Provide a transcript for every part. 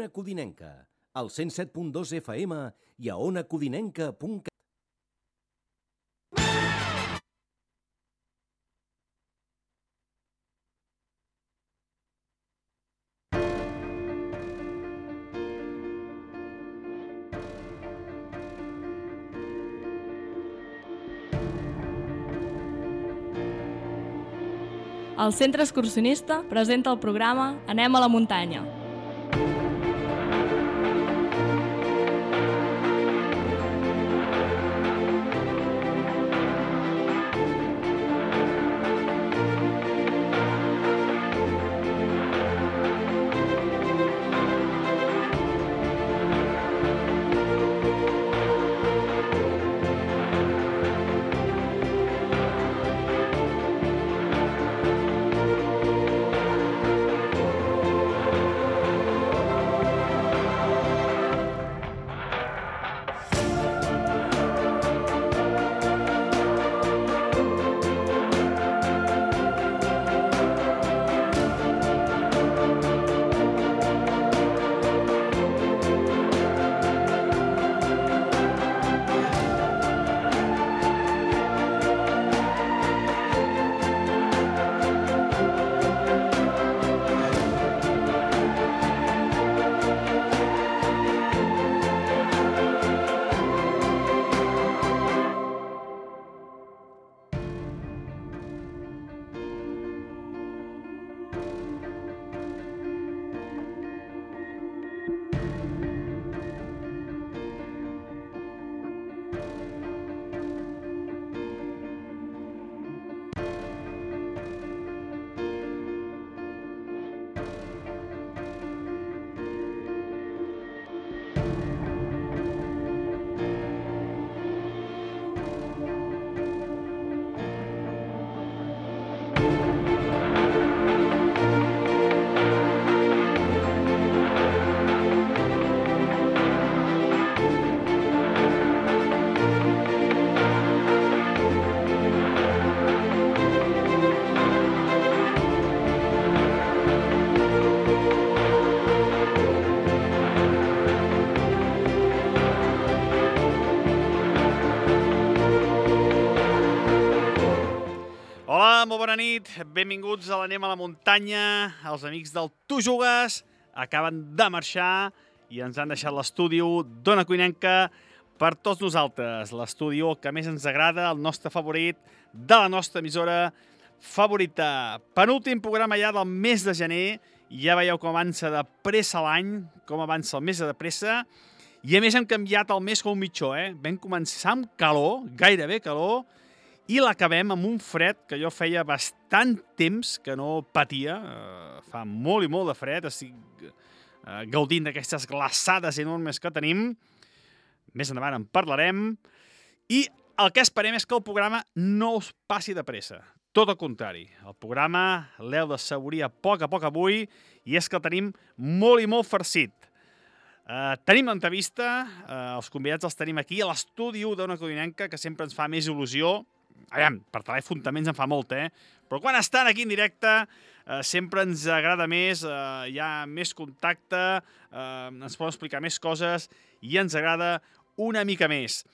Ona Codinenca, al 107.2 FM i a onacodinenca.cat. El Centre Excursionista presenta el programa Anem a la muntanya. Molt bona nit, benvinguts a l'Anem a la muntanya. Els amics del Tu Jugues acaben de marxar i ens han deixat l'estudi d'Ona Codinenca per tots nosaltres. L'estudi que més ens agrada, el nostre favorit, de la nostra emissora favorita. Penúltim programa ja del mes de gener. Ja veieu com avança de pressa l'any, com avança el mes de pressa. I a més hem canviat el mes com un mitjó, Vam començar amb calor, gairebé calor, i l'acabem amb un fred que jo feia bastant temps que no patia. Fa molt i molt de fred, estic gaudint d'aquestes glaçades enormes que tenim. Més endavant en parlarem. I el que esperem és que el programa no us passi de pressa. Tot el contrari. El programa l'heu de saborir a poc avui i és que el tenim molt i molt farcit. Tenim l'entrevista, els convidats els tenim aquí a l'estudi d'Ona Codinenca, que sempre ens fa més il·lusió. Aviam, per telèfon també ens en fa molt, Però quan estan aquí en directe sempre ens agrada més, hi ha més contacte, ens poden explicar més coses i ens agrada una mica més.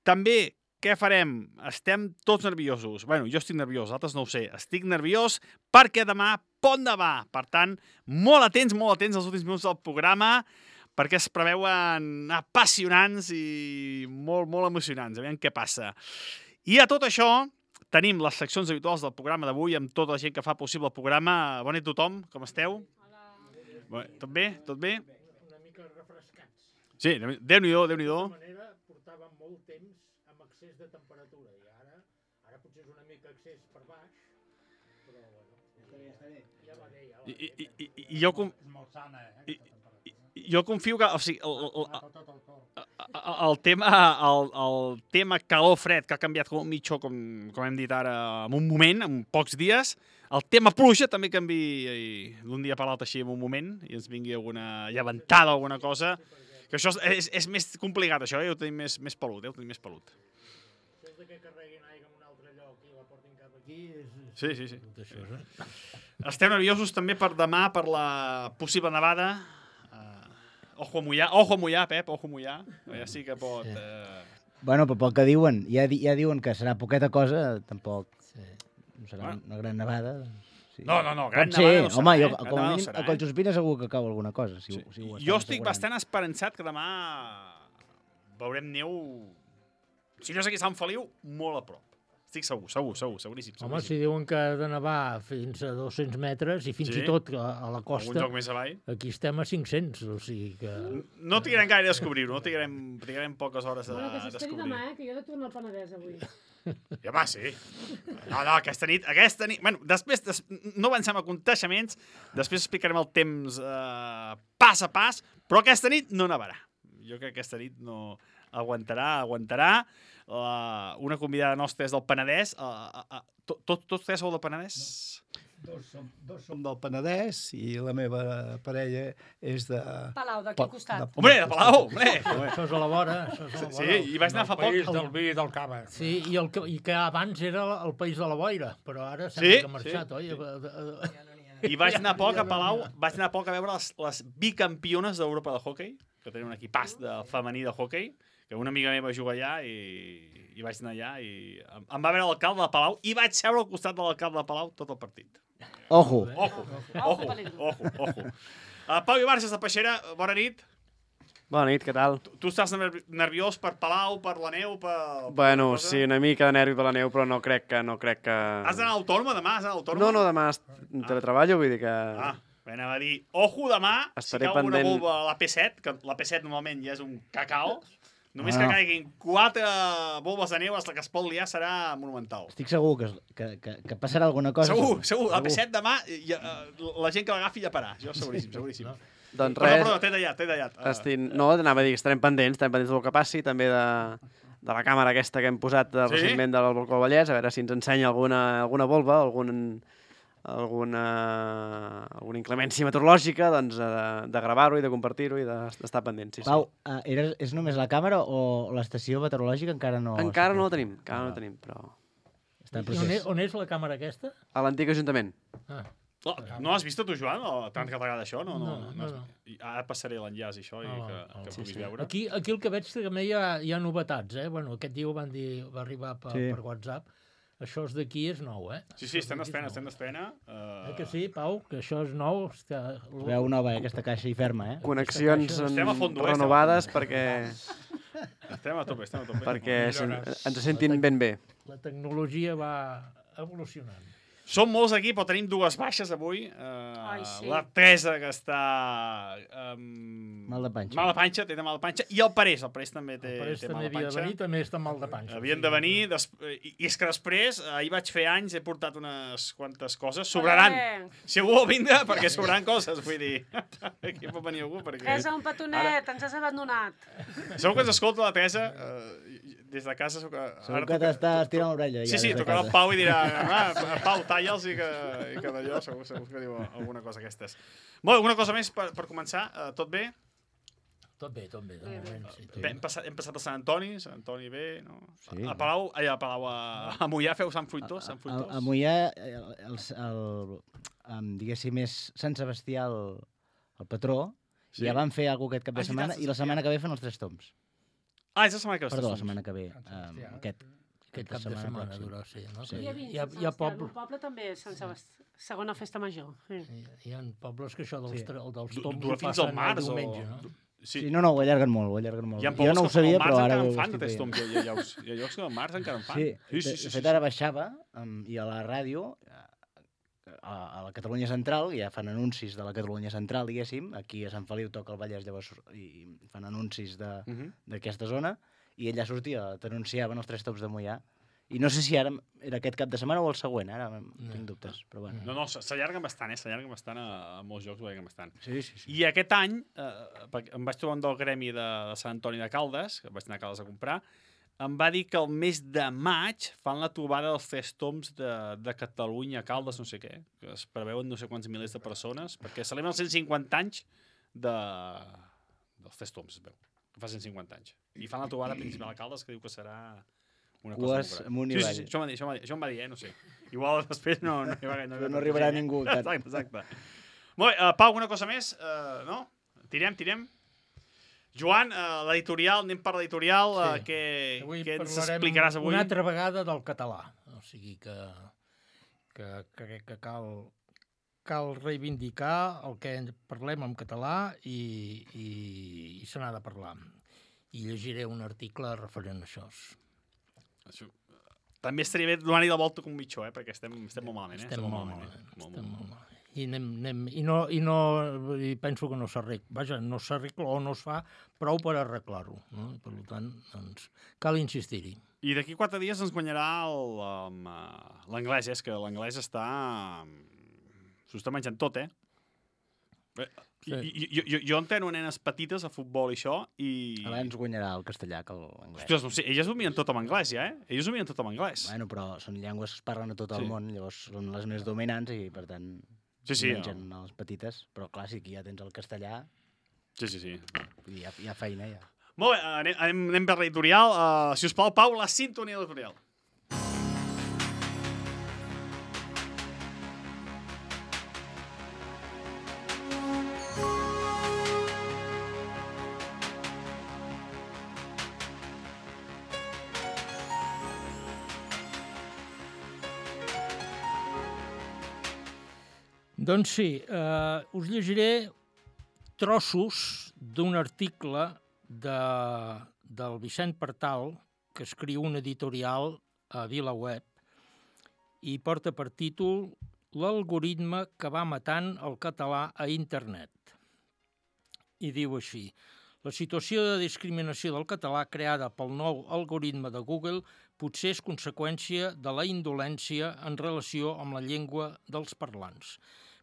També, què farem? Estem tots nerviosos. Bueno, jo estic nerviós, altres no ho sé. Estic nerviós perquè demà Pont de Bar. Per tant, molt atents als últims minuts del programa, perquè es preveuen apassionants i molt emocionants. Aviam què passa. I a tot això tenim les seccions habituals del programa d'avui amb tota la gent que fa possible el programa. Bona nit a tothom, com esteu? Hola. Tot bé? Tot bé? Una mica refrescats. Sí, Déu-n'hi-do. De tota manera, portàvem molt temps amb excés de temperatura i ara potser és una mica excés per baix, però bueno, ja va bé. I jo És molt sana, jo confio que, o sigui, el tema calor-fred, que ha canviat com un mitjó, com hem dit ara, en un moment, en pocs dies. El tema pluja també canvia d'un dia per l'altre així en un moment i ens vingui alguna llevantada o alguna cosa. Que això és més complicat, això, ho tenim més pelut, ho tenim més pelut. Això de que carreguin aigua en un altre lloc i la portin cap aquí és... Sí. Esteu nerviosos també per demà, per la possible nevada? Ojo a mullar, Pep, ojo a mullar. Ja sí que pot... Bueno, però pel que diuen, ja diuen que serà poqueta cosa, tampoc no serà una gran nevada. Sí. No, gran Pot ser, nevada no serà, home, eh? jo, Gran com a nevada no mínim, serà, a Collsuspina segur que cau alguna cosa. Si ho Jo estan estic assegurant. bastant esperançat que demà veurem neu, si no és aquí a Sant Feliu, molt a prop. Estic seguríssim. Home, si diuen que ha de nevar fins a 200 metres i fins i tot a la Algun costa, joc més avall. aquí estem a 500, o sigui que... No trigarem gaire a descobrir-ho, trigarem poques hores a Bueno, que s'esperi descobrir. demà, que jo he de tornar al Penedès avui. I home, sí. No, aquesta nit... Bueno, després, no avancem a contaixements, després explicarem el temps pas a pas, però aquesta nit no nevarà. Jo crec que aquesta nit no aguantarà. Una convidada nostra és del Penedès. Tots tres sou del Penedès? Dos som del Penedès i la meva parella és de... Palau, d'aquí al costat. Hombre, de Palau, hombre! Això és a la vora, Sí, i vaig anar fa poc. El país del vi i del cava. Sí, i que abans era el país de la boira, però ara sembla que ha marxat, oi? I vaig anar poc a Palau, a veure les bicampiones d'Europa de hoquei, que tenen un equipàs femení de hoquei, que una amiga meva juga allà i vaig anar allà i em va veure l'alcalde de Palau i vaig seure al costat de l'alcalde de Palau tot el partit. Ojo. Pau Ibarges de Peixera, bona nit. Bona nit, què tal? Tu estàs nerviós per Palau, per la neu, per... Bueno, sí, una mica de nervi per la neu, però no crec que... Has d'anar a l'Autònoma demà? No, demà teletreballo, vull dir que... Anava a dir, ojo demà, estaré si cau una pendent... bomba a la P7, que la P7 normalment ja és un cacao, només que caiguin 4 bombes de neu, la que es pot liar serà monumental. Estic segur que passarà alguna cosa. Segur. La P7 demà, la gent que l'agafi ja parà. Jo seguríssim. Doncs res... Però t'he tallat. No, anava a dir que estarem pendents del que passi, també de la càmera aquesta que hem posat recentment del Balcó del Vallès, a veure si ens ensenya alguna volva, alguna inclemència meteorològica, doncs de gravar-ho i de compartir-ho i d'estar pendents. Pau, és només la càmera o l'estació meteorològica encara no... Encara no la tenim, però... On és la càmera aquesta? A l'antic Ajuntament. No has vist tu, Joan? Tant que t'agrada això? No. Ara passaré l'enllaç i això que puguis veure. Aquí el que veig també hi ha novetats, eh? Bueno, aquest dia ho van dir, va arribar per WhatsApp. Això d'aquí és nou, eh? Sí, estem d'espena. Que sí, Pau? Que això és nou? Veu nova, aquesta caixa i ferma, eh? Connexions renovades perquè... Estem a tope. Perquè ens sentin ben bé. La tecnologia va evolucionant. Som molts aquí, però tenim dues baixes avui. La Teresa, que està... Mal de panxa. Té mal de panxa. I el Parés també té mal de panxa. Havia de venir, també està mal de panxa. Havien de venir, i és que després, ahir vaig fer anys, he portat unes quantes coses. Sobraran. Si algú vol vindre, perquè sobraran coses, vull dir. Aquí pot venir algú, perquè... Teresa, un petonet, ens has abandonat. Segur que ens escolta la Teresa, des de casa... Segur que t'estàs tirant l'orella. Sí, tocarà el Pau i dirà, Pau, talla'ls i que d'allò segur que diu alguna cosa aquestes. Molt, alguna cosa més per començar? Tot bé? Tot bé, de moment, sí. Hem passat a Sant Antoni bé, no? Sí. A Palau, a Moià feu Sant Fruitós? A Moià, diguéssim, és Sant Sebastià el patró, ja van fer alguna cosa aquest cap de setmana, i la setmana que ve fan els Tres Tombs. És la setmana que ve. Perdó, la setmana que ve. Aquest cap de setmana durà, sí. Hi ha poble també, Sant Sebastià, segona festa major. Hi ha pobles que això dels tombs dura fins al març o... Sí, no, ho allarguen molt. Jo no ho sabia, però ara ho estic veient. Hi ha llocs que al març encara en fan. Sí, de fet ara baixava i a la ràdio, a la Catalunya Central, ja fan anuncis de la Catalunya Central, diguéssim, aquí a Sant Feliu toca el Vallès, llavors i fan anuncis d'aquesta zona, i allà sortia, t'anunciaven els Tres Tombs de Moià. I no sé si ara era aquest cap de setmana o el següent, ara tinc dubtes, però bueno. No, s'allarguen bastant, s'allarguen bastant a molts jocs, ho veiem bastant. Sí. I aquest any, em vaig trobar un del gremi de Sant Antoni de Caldes, que vaig anar a Caldes a comprar, em va dir que el mes de maig fan la trobada dels Tres Tombs de Catalunya a Caldes, no sé què, que es preveuen no sé quants milers de persones, perquè celebren els 150 anys dels Tres Tombs, es veu, que fa 150 anys. I fan la trobada principal a Caldes, que diu que serà... Cues amunt i avall. Sí, això em va dir, no sé. Igual després no arribarà ningú. Exacte. Molt bé, Pau, alguna cosa més? No? Tirem? Joan, l'editorial, anem per l'editorial. Què ens explicaràs avui? Una altra vegada del català. O sigui que crec que cal reivindicar el que parlem en català i se n'ha de parlar. I llegiré un article referent a això. També estaria bé donar-hi la volta com mitjó, perquè estem molt malament. Estem molt malament. I penso que no s'arregla. Vaja, no s'arregla o no es fa prou per arreglar-ho. No? Per tant, doncs, cal insistir-hi. I d'aquí 4 dies ens guanyarà l'anglès, és que l'anglès s'ho està menjant tot, Jo enteno nenes petites a futbol i això, i... Abans guanyarà el castellà que l'anglès. Ostres, no sé, elles ho mien tot en anglès, ja, Elles ho mien tot en anglès. Bueno, però són llengües que es parlen a tot el món, llavors són les més dominants i, per tant, mengen les petites. Però, clar, sí que ja tens el castellà... Sí. Hi ha feina, ja. Molt bé, anem per l'editorial. Si us plau, Pau, la sintonia de l'editorial. Doncs sí, us llegiré trossos d'un article del Vicent Partal, que escriu un editorial a VilaWeb, i porta per títol L'algoritme que va matant el català a internet. I diu així: la situació de discriminació del català creada pel nou algoritme de Google potser és conseqüència de la indolència en relació amb la llengua dels parlants,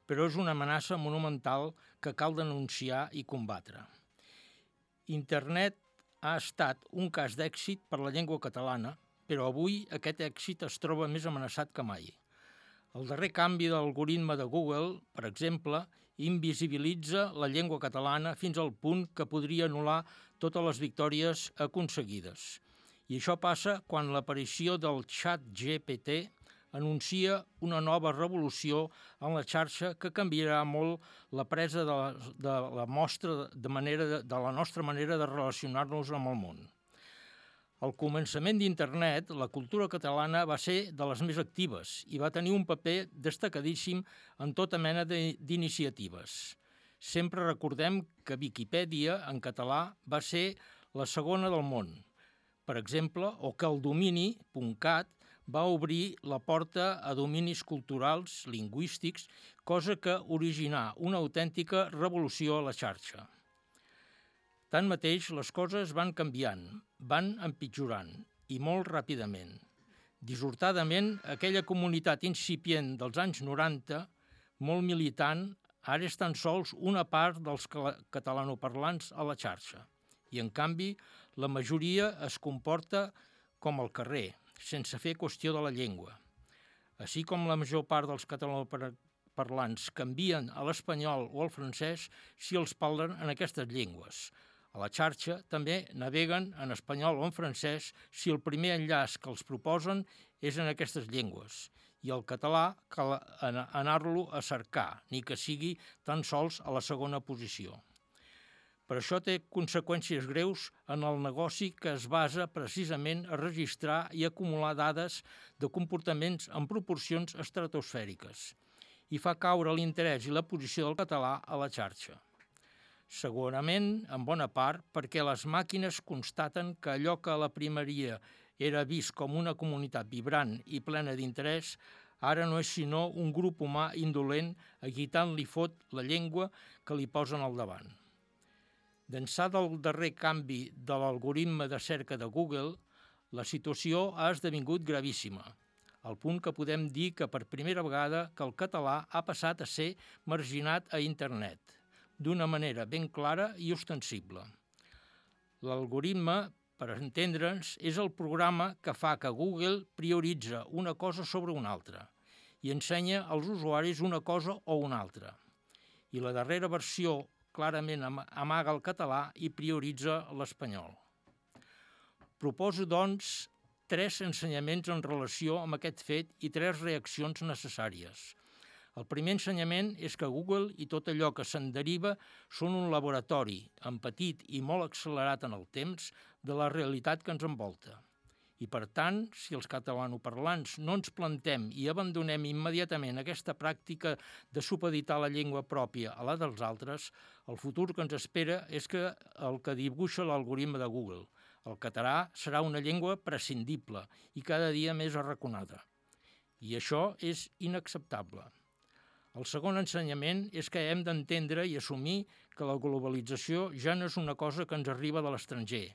però és una amenaça monumental que cal denunciar i combatre. Internet ha estat un cas d'èxit per la llengua catalana, però avui aquest èxit es troba més amenaçat que mai. El darrer canvi de l'algoritme de Google, per exemple, invisibilitza la llengua catalana fins al punt que podria anul·lar totes les victòries aconseguides. I això passa quan l'aparició del xat GPT anuncia una nova revolució en la xarxa que canviarà molt la presa de la nostra manera de relacionar-nos amb el món. Al començament d'Internet, la cultura catalana va ser de les més actives i va tenir un paper destacadíssim en tota mena d'iniciatives. Sempre recordem que Viquipèdia, en català, va ser la segona del món, per exemple, o que el domini .cat va obrir la porta a dominis culturals, lingüístics, cosa que originà una autèntica revolució a la xarxa. Tanmateix, les coses van canviant, van empitjorant, i molt ràpidament. Dissortadament, aquella comunitat incipient dels anys 90, molt militant, ara és tan sols una part dels catalanoparlants a la xarxa. I, en canvi, la majoria es comporta com al carrer, sense fer qüestió de la llengua. Així com la major part dels catalanoparlants canvien a l'espanyol o al francès si els parlen en aquestes llengües. A la xarxa també naveguen en espanyol o en francès si el primer enllaç que els proposen és en aquestes llengües. I el català cal anar-lo a cercar, ni que sigui tan sols a la segona posició. Per això té conseqüències greus en el negoci que es basa precisament a registrar i acumular dades de comportaments en proporcions estratosfèriques i fa caure l'interès i la posició del català a la xarxa. Segurament, en bona part, perquè les màquines constaten que allò que a la primeria era vist com una comunitat vibrant i plena d'interès, ara no és sinó un grup humà indolent a qui tant li fot la llengua que li posen al davant. D'ençà del darrer canvi de l'algoritme de cerca de Google, la situació ha esdevingut gravíssima, al punt que podem dir que per primera vegada que el català ha passat a ser marginat a internet, d'una manera ben clara i ostensible. L'algoritme, per entendre'ns, és el programa que fa que Google prioritza una cosa sobre una altra i ensenya als usuaris una cosa o una altra. I la darrera versió clarament amaga el català i prioritza l'espanyol. Proposo, doncs, 3 ensenyaments en relació amb aquest fet i 3 reaccions necessàries. El primer ensenyament és que Google i tot allò que se'n deriva són un laboratori, en petit i molt accelerat en el temps, de la realitat que ens envolta. I, per tant, si els catalanoparlants no ens plantem i abandonem immediatament aquesta pràctica de supeditar la llengua pròpia a la dels altres, el futur que ens espera és que el que dibuixa l'algoritme de Google. El català serà una llengua prescindible i cada dia més arraconada. I això és inacceptable. El segon ensenyament és que hem d'entendre i assumir que la globalització ja no és una cosa que ens arriba de l'estranger.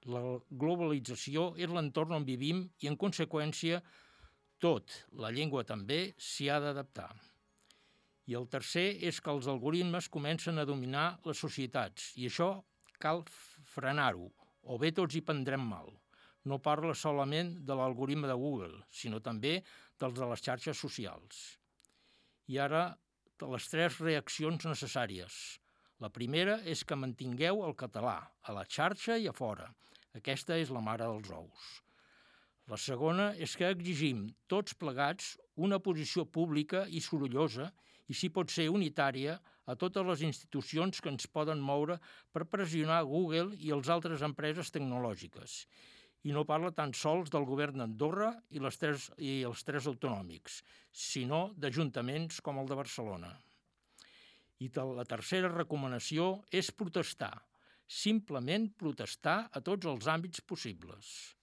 La globalització és l'entorn on vivim i, en conseqüència, tot, la llengua també, s'hi ha d'adaptar. I el tercer és que els algoritmes comencen a dominar les societats i això cal frenar-ho, o bé tots hi prendrem mal. No parla solament de l'algoritme de Google, sinó també dels de les xarxes socials. I ara, les 3 reaccions necessàries. La primera és que mantingueu el català, a la xarxa i a fora. Aquesta és la mare dels ous. La segona és que exigim, tots plegats, una posició pública i sorollosa, i si pot ser unitària, a totes les institucions que ens poden moure per pressionar Google i les altres empreses tecnològiques. I no parla tan sols del govern d'Andorra i els 3 autonòmics, sinó d'ajuntaments com el de Barcelona. I la tercera recomanació és protestar, simplement protestar a tots els àmbits possibles.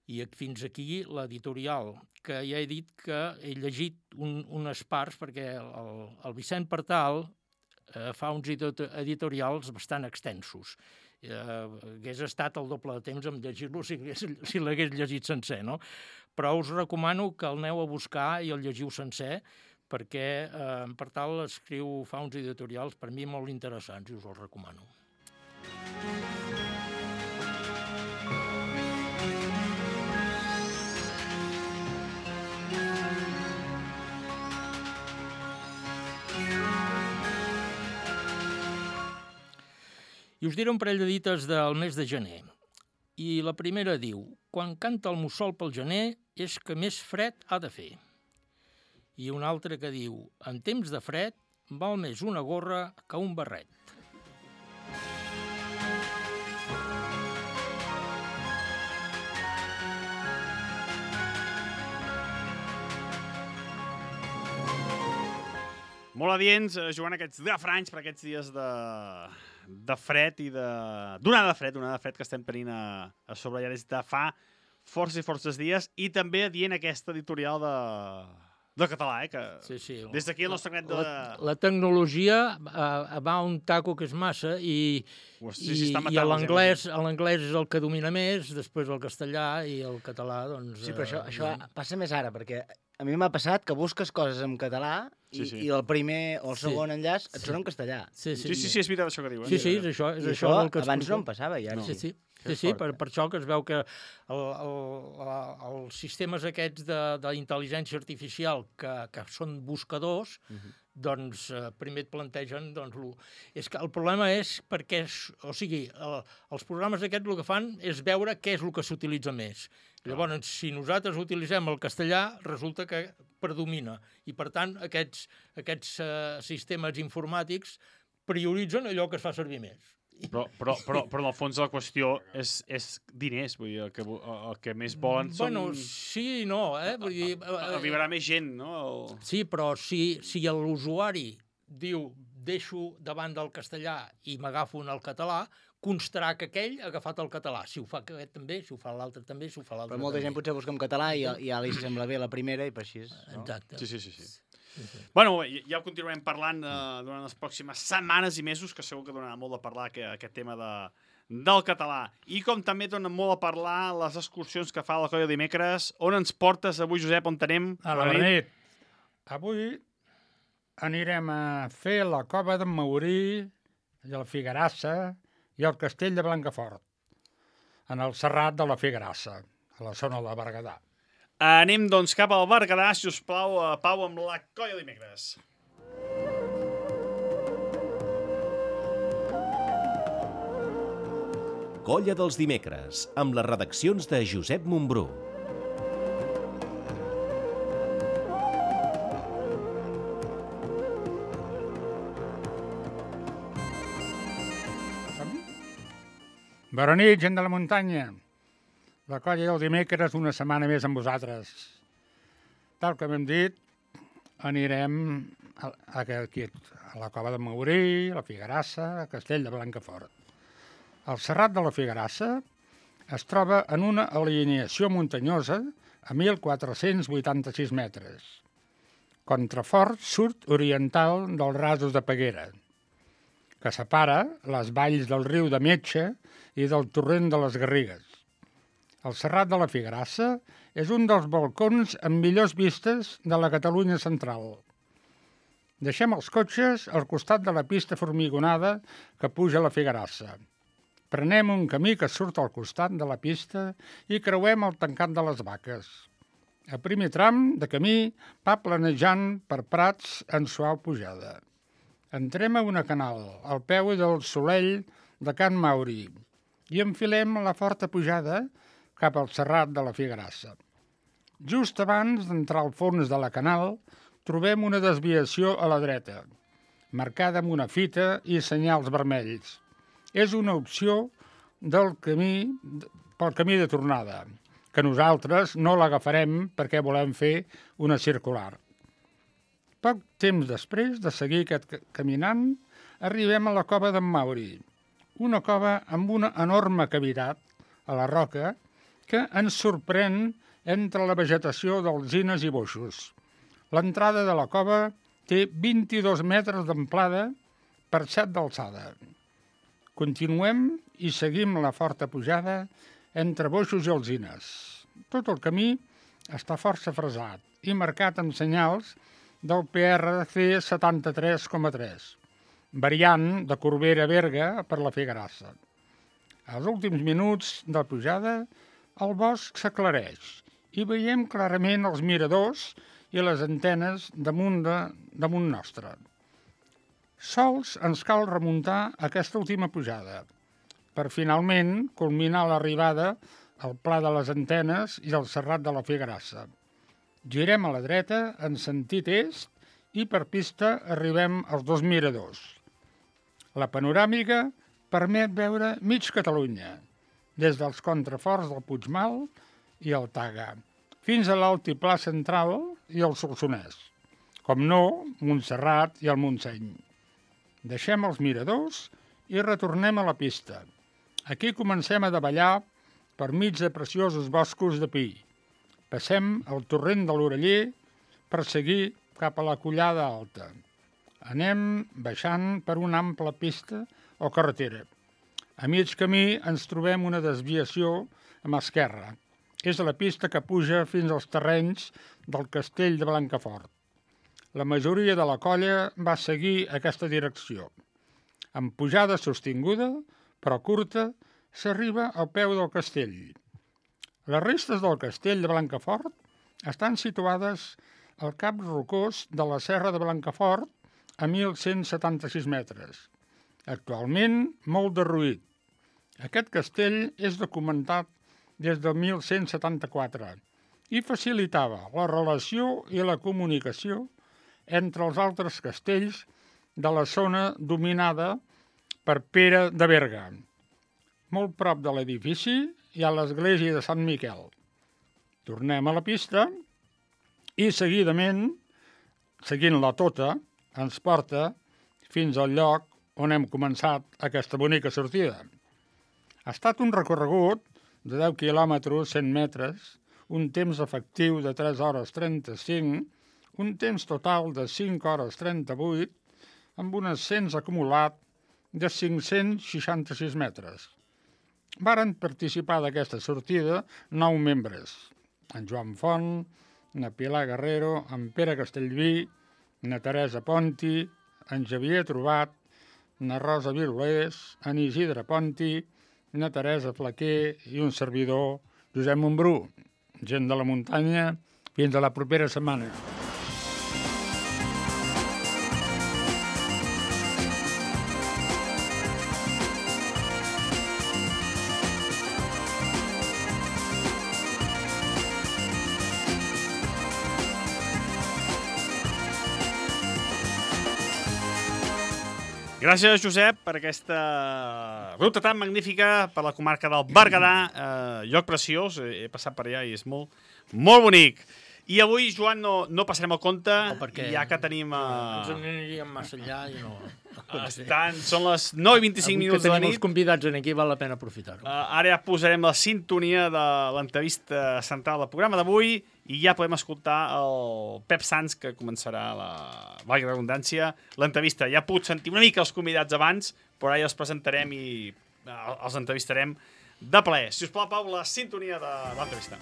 I fins aquí l'editorial, que ja he dit que he llegit unes parts perquè el Vicent Partal fa uns editorials bastant extensos. Hagués estat el doble de temps en llegir-lo si l'hagués llegit sencer, no? Però us recomano que el aneu a buscar i el llegiu sencer, perquè en Partal fa uns editorials per mi molt interessants i us els recomano. I us diré un parell de dites del mes de gener. I la primera diu: quan canta el mussol pel gener és que més fred ha de fer. I una altra que diu: en temps de fred val més una gorra que un barret. Molt adients, jugant aquests refranys per aquests dies de fred i d'onada de fred que estem tenint a sobre ja des de fa forces i forces dies, i també adient aquesta editorial de català, que sí. Des d'aquí el nostre net de... La tecnologia va a un taco que és massa i l'anglès és el que domina més, després el castellà i el català, doncs... Sí, però això passa més ara, perquè a mi m'ha passat que busques coses en català i el primer o el segon enllaç et sona en castellà. Sí, és veritat això que diuen. Sí, és això. I això abans no em passava, i ara sí. Sí, per això que es veu que els sistemes aquests d'intel·ligència artificial que són buscadors, doncs primer et plantegen... És que el problema és perquè... O sigui, els programes aquests el que fan és veure què és el que s'utilitza més. Llavors, si nosaltres utilitzem el castellà, resulta que predomina. I, per tant, aquests sistemes informàtics prioritzen allò que es fa servir més. Però en el fons la qüestió és diners, vull dir, el que més volen són... Bueno, sí i no, Vull dir... Arribarà més gent, no? Sí, però si l'usuari diu deixo davant del castellà i m'agafo en el català, constarà que aquell ha agafat el català. Si ho fa aquest també, si ho fa l'altre també, si ho fa l'altre també. Però molta gent potser busca en català i ja li sembla bé la primera i per així... Exacte. Sí. Bueno, ja ho continuarem parlant durant les pròximes setmanes i mesos, que segur que donarà molt de parlar aquest tema del català. I com també dona molt a parlar les excursions que fa la Colla dimecres. On ens portes avui, Josep, on anem? A la nit. Avui anirem a fer la Cova d'en Maurí, la Figuerassa i el Castell de Blancafort, en el Serrat de la Figuerassa, a la zona de Berguedà. Anem, doncs, cap al Berguedà, si us plau, Pau, amb la Colla dimecres. Colla dels dimecres, amb les redaccions de Josep Montbrú. Bona nit, gent de la muntanya. La colla del dimecres, una setmana més amb vosaltres. Tal com hem dit, anirem aquí, a la Cova de Maurí, a la Figuerassa, a Castell de Blancafort. El Serrat de la Figuerassa es troba en una alineació muntanyosa a 1.486 metres. Contrafort sud-oriental dels Rasos de Peguera, que separa les valls del riu de Metge i del torrent de les Garrigues. El Serrat de la Figuerassa és un dels balcons amb millors vistes de la Catalunya central. Deixem els cotxes al costat de la pista formigonada que puja a la Figuerassa. Prenem un camí que surt al costat de la pista i creuem el tancat de les Vaques. A primer tram de camí va planejant per prats en suau pujada. Entrem a una canal, al peu del Solell de Can Mauri, i enfilem la forta pujada cap al Serrat de la Figuerassa. Just abans d'entrar al fons de la canal, trobem una desviació a la dreta, marcada amb una fita i senyals vermells. És una opció pel camí de tornada, que nosaltres no l'agafarem perquè volem fer una circular. Poc temps després de seguir caminant, arribem a la cova d'en Mauri, una cova amb una enorme cavitat a la roca que ens sorprèn entre la vegetació d'alzines i boixos. L'entrada de la cova té 22 metres d'amplada per 7 d'alçada. Continuem i seguim la forta pujada entre boixos i alzines. Tot el camí està força fresat i marcat amb senyals del PRC 73,3, variant de Corbera-Berga per la Figuerassa. Als últims minuts de pujada, el bosc s'aclareix i veiem clarament els miradors i les antenes damunt nostre. Sols ens cal remuntar aquesta última pujada per finalment culminar l'arribada al Pla de les Antenes i al Serrat de la Figuerassa. Girem a la dreta en sentit est i per pista arribem als 2 miradors. La panoràmica permet veure mig Catalunya, des dels contraforts del Puigmal i el Taga, fins a l'altiplà central i el Solsonès, com no, Montserrat i el Montseny. Deixem els miradors i retornem a la pista. Aquí comencem a davallar per mig de preciosos boscos de pi. Passem el torrent de l'Oreller per seguir cap a la Collada Alta. Anem baixant per una ampla pista o carretera. A mig camí ens trobem una desviació a mà esquerra. És la pista que puja fins als terrenys del Castell de Blancafort. La majoria de la colla va seguir aquesta direcció. Amb pujada sostinguda, però curta, s'arriba al peu del castell. Les restes del castell de Blancafort estan situades al cap rocós de la Serra de Blancafort a 1.176 metres. Actualment molt derruït. Aquest castell és documentat des del 1174 i facilitava la relació i la comunicació entre els altres castells de la zona dominada per Pere de Berga. Molt prop de l'edifici hi ha l'església de Sant Miquel. Tornem a la pista i seguidament, seguint-la tota, ens porta fins al lloc on hem començat aquesta bonica sortida. Ha estat un recorregut de 10 quilòmetres, 100 metres, un temps efectiu de 3 hores 35, un temps total de 5 hores 38, amb un ascens acumulat de 566 metres. Varen participar d'aquesta sortida 9 membres, en Joan Font, na Pilar Guerrero, en Pere Castellví, na Teresa Ponti, en Xavier Trobat, na Rosa Virulés, en Isidre Ponti, na Teresa Flaquer i un servidor, Josep Montbrú. Gent de la muntanya, fins a la propera setmana. Gràcies, Josep, per aquesta ruta tan magnífica per la comarca del Berguedà. Lloc preciós, he passat per allà i és molt, molt bonic. I avui, Joan, no passarem el compte, ja que tenim... Ens aniríem massa allà i no... Són les 9:25 minuts de la nit. Tenim els convidats aquí, val la pena aprofitar-ho. Ara ja posarem la sintonia de l'entrevista central del programa d'avui i ja podem escoltar el Pep Sans, que començarà, valgui la redundància, l'entrevista. Ja puc sentir una mica els convidats abans, però ara ja els presentarem i els entrevistarem de plaer. Si us plau, Pau, la sintonia de l'entrevista.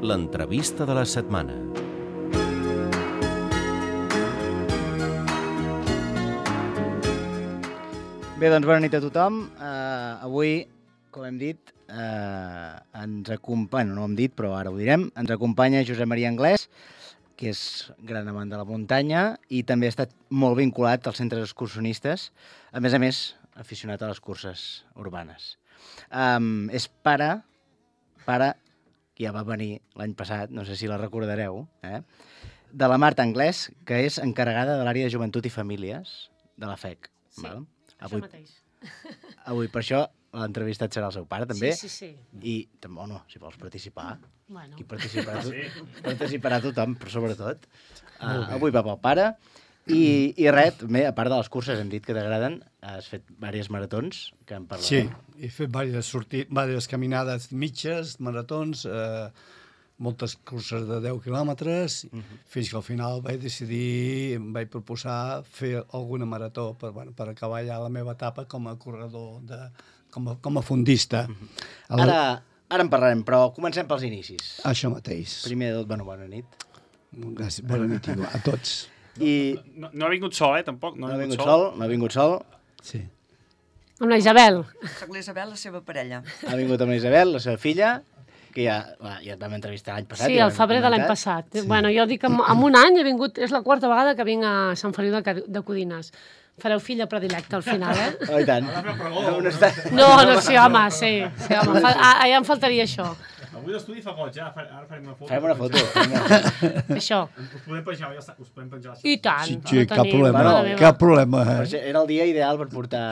L'entrevista de la setmana. Bé, doncs bona nit a tothom. Avui, com hem dit, ens acompanya, no ho hem dit, però ara ho direm, ens acompanya Josep Maria Anglès, que és gran amant de la muntanya i també ha estat molt vinculat als centres excursionistes, a més, aficionat a les curses urbanes. És pare, que ja va venir l'any passat, no sé si la recordareu, de la Marta Anglès, que és encarregada de l'àrea de joventut i famílies de la FEC. Sí, val? això mateix. Avui, per això, l'entrevistat serà el seu pare, també. Sí. I, no, si vols participar, Bueno. aquí participarà tothom, però sobretot. Avui va pel pare. I res, també, a part de les curses, hem dit que t'agraden, has fet diverses maratons, que en parlarem. Sí, he fet diverses caminades mitges, maratons, moltes curses de 10 quilòmetres, fins que al final em vaig proposar fer alguna marató per acabar ja la meva etapa com a corredor, com a fondista. Ara en parlarem, però comencem pels inicis. Això mateix. Primer de tot, bona nit. Gràcies, bona nit a tots. No ha vingut sol, tampoc. No ha vingut sol. Sí. Amb la Isabel. Amb la Isabel, la seva parella. Ha vingut amb la Isabel, la seva filla, que ja et vam entrevistar l'any passat. Sí, al febrer de l'any passat. Sí. Bueno, jo dic que en un any he vingut, és la quarta vegada que vinc a Sant Feliu de Codines. Fareu filla predilecta al final, Oh, i tant. No, sí, home, sí. Home. Ja em faltaria això. Avui l'estudi fa goig, ara farem una foto. Farem una foto. Això. Us podem penjar. I tant. Sí, cap problema. Era el dia ideal per portar...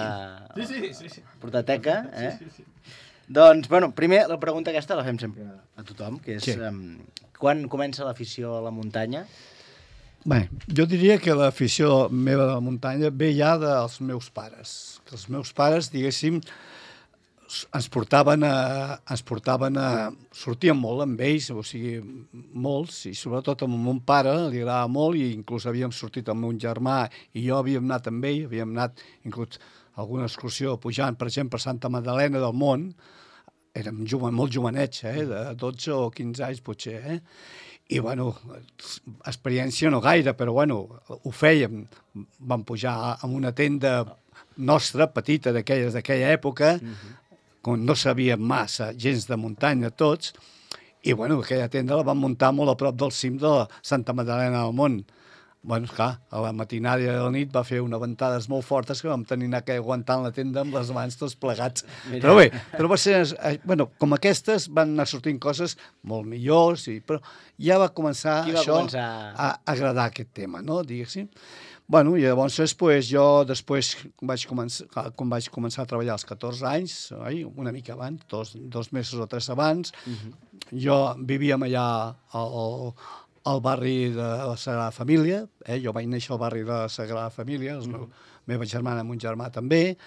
Sí. Portar teca, Sí. Doncs, primer, la pregunta aquesta la fem sempre a tothom, que és quan comença l'afició a la muntanya? Bé, jo diria que l'afició meva de la muntanya ve ja dels meus pares. Que els meus pares, diguéssim, ens portaven a... Sortíem molt amb ells, o sigui, molts, i sobretot amb mon pare, li agradava molt, i inclús havíem sortit amb un germà, i jo havíem anat amb ell, havíem anat inclús a alguna excursió pujant, per exemple, a Santa Magdalena del Mont, érem molt jovenets, de 12 o 15 anys potser, I, experiència no gaire, però, ho fèiem. Vam pujar en una tenda nostra, petita, d'aquella època, quan no sabíem massa, gens de muntanya tots, i, aquella tenda la vam muntar molt a prop del cim de la Santa Magdalena del Mont. Clar, a la matinada de la nit va fer unes ventades molt fortes que vam tenir que aguantar la tenda amb les mans tots plegats. Però bé, va ser... com aquestes van anar sortint coses molt millors, però ja va començar això a agradar aquest tema, no? Diguéssim. I llavors jo després, quan vaig començar a treballar als 14 anys, una mica abans, dos mesos o tres abans, jo vivíem allà al barri de la Sagrada Família, jo vaig néixer al barri de la Sagrada Família, la meva germana amb un germà també,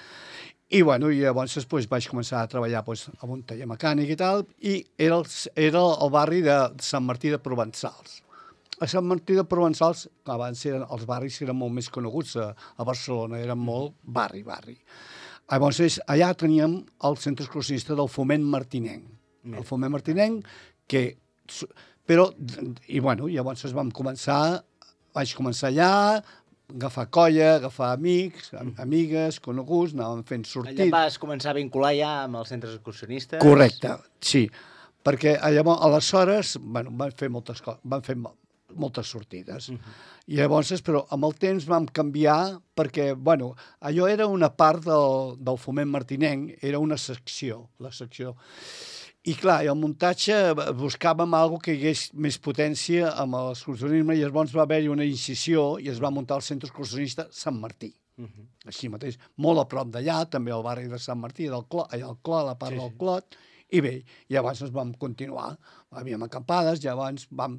i llavors vaig començar a treballar a un taller mecànic i tal, i era el barri de Sant Martí de Provençals. A Sant Martí de Provençals, abans els barris eren molt més coneguts a Barcelona, eren molt barri. Llavors allà teníem el centre excursionista del Foment Martinenc. El Foment Martinenc, llavors vaig començar allà, agafar colla, agafar amics, amigues, coneguts, anàvem fent sortit. Allà vas començar a vincular ja amb els centres excursionistes? Correcte, sí, perquè aleshores van fer moltes coses, van fer moltes sortides. I llavors, però amb el temps vam canviar perquè, bueno, allò era una part del foment martinenc, era una secció, la secció. I clar, el muntatge buscàvem alguna que hi hagués més potència amb l'excursionisme i llavors va haver-hi una incisió i es va muntar el centre excursionista Sant Martí. Així mateix, molt a prop d'allà, també al barri de Sant Martí, allà al Clot, a la part del Clot, i bé, i llavors ens vam continuar. Havíem acampades, llavors vam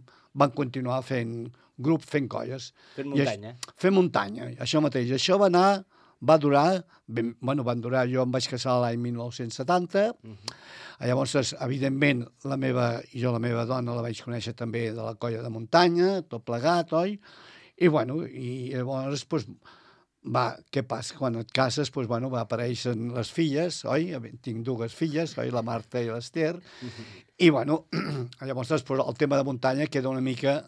continuar fent grup, fent colles. Fent muntanya. Fent muntanya, això mateix. Això va durar, jo em vaig casar l'any 1970, llavors, evidentment, la meva dona la vaig conèixer també de la colla de muntanya, tot plegat, oi? I, bueno, i llavors, doncs, què passa? Quan et cases, doncs, bueno, apareixen les filles, oi? Tinc dues filles, oi? La Marta i l'Ester. I, bueno, llavors, després, el tema de muntanya queda una mica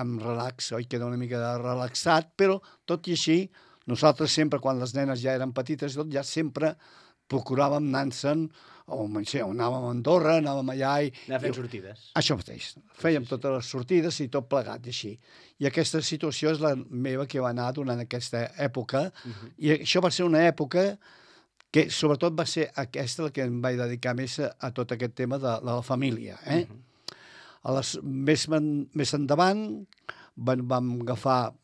amb relax, oi? Queda una mica relaxat, però, tot i així, nosaltres sempre, quan les nenes ja eren petites, ja sempre procuràvem anar-se'n, o anàvem a Andorra, anàvem allà i... Anar fent sortides. Això mateix. Fèiem totes les sortides i tot plegat, i així. I aquesta situació és la meva que va anar durant aquesta època, i això va ser una època que sobretot va ser aquesta la que em vaig dedicar més a tot aquest tema de la família. Més endavant vam agafar...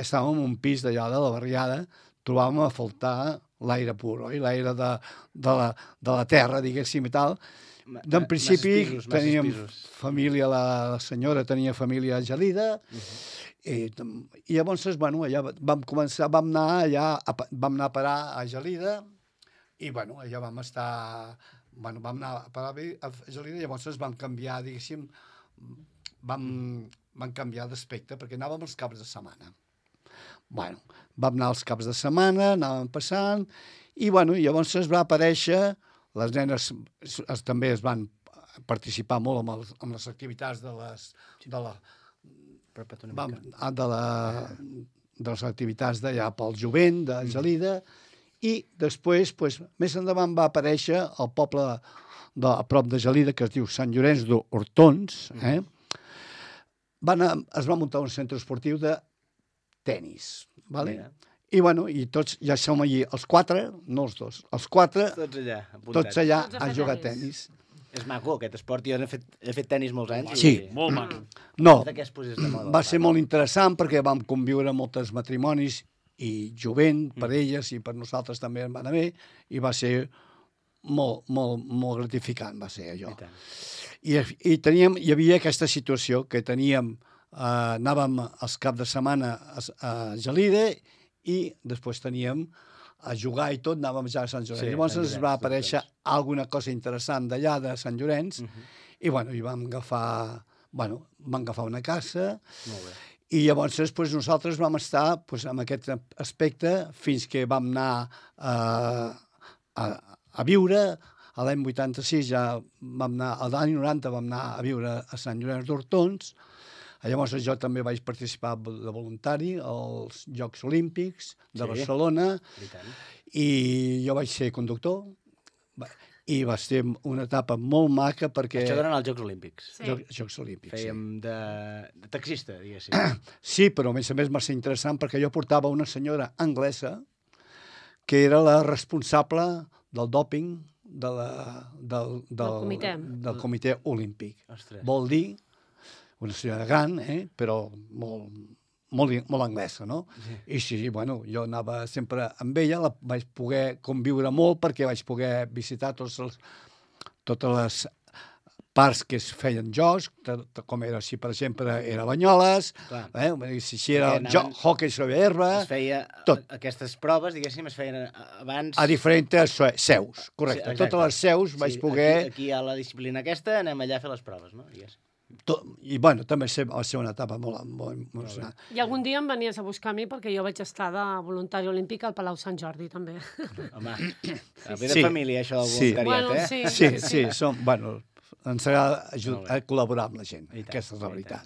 Estàvem en un pis d'allà de la barriada, trobàvem a faltar l'aire pur, oi? L'aire de la terra, diguéssim, i tal. En principi teníem família, la senyora tenia família a Gelida, i llavors, bueno, allà vam anar a parar a Gelida, i, bueno, allà vam estar... Bueno, vam anar a parar a Gelida, llavors vam canviar, diguéssim, vam canviar d'aspecte, perquè anàvem els caps de setmana. Bueno, vam anar els caps de setmana, anàvem passant, i, bueno, llavors es va aparèixer, les nenes també es van participar molt amb les activitats de les activitats d'allà pel jovent, de Gelida, i després, més endavant va aparèixer el poble a prop de Gelida, que es diu Sant Llorenç d'Hortons, es va muntar un centre esportiu de tenis, vale? I, bueno, i tots ja som allí, els quatre, no els dos, els quatre, tots allà a jugar a tenis. És maco, aquest esport. Jo he fet tenis molts anys. Sí. Molt maco. No, va ser molt interessant perquè vam conviure molts matrimonis i jovent per elles i per nosaltres també en va anar bé i va ser molt gratificant, va ser allò. I hi havia aquesta situació que anàvem els caps de setmana a Gelida i després teníem a jugar i tot, anàvem ja a Sant Llorenç. Llavors ens va aparèixer alguna cosa interessant d'allà, de Sant Llorenç, i vam agafar una casa, i llavors llavors vam estar en aquest aspecte fins que vam anar a viure. A l'any 86 ja vam anar, a l'any 90 vam anar a viure a Sant Llorenç d'Hortons. Llavors jo també vaig participar de voluntari als Jocs Olímpics de Barcelona i jo vaig ser conductor i va ser una etapa molt maca perquè... Això durant els Jocs Olímpics. Jocs Olímpics, sí. Fèiem de taxista, diguéssim. Sí, però a més va ser interessant perquè jo portava una senyora anglesa que era la responsable del dòping del comitè olímpic. Vol dir una senyora gran, però molt anglesa, no? I sí, bueno, jo anava sempre amb ella, la vaig poder conviure molt perquè vaig poder visitar totes les parts que es feien jocs, com era, si per exemple era Banyoles, si era hockey sobre herba... Es feia aquestes proves, diguéssim, es feien abans... A diferents seus, correcte. Totes les seus vaig poder... Aquí hi ha la disciplina aquesta, anem allà a fer les proves, no? I, bueno, també va ser una etapa molt emocionant. I algun dia em venies a buscar a mi perquè jo vaig estar de voluntari olímpic al Palau Sant Jordi, també. Home, ve de família, això del voluntariat, Sí, ens agrada col·laborar amb la gent, aquesta és la veritat.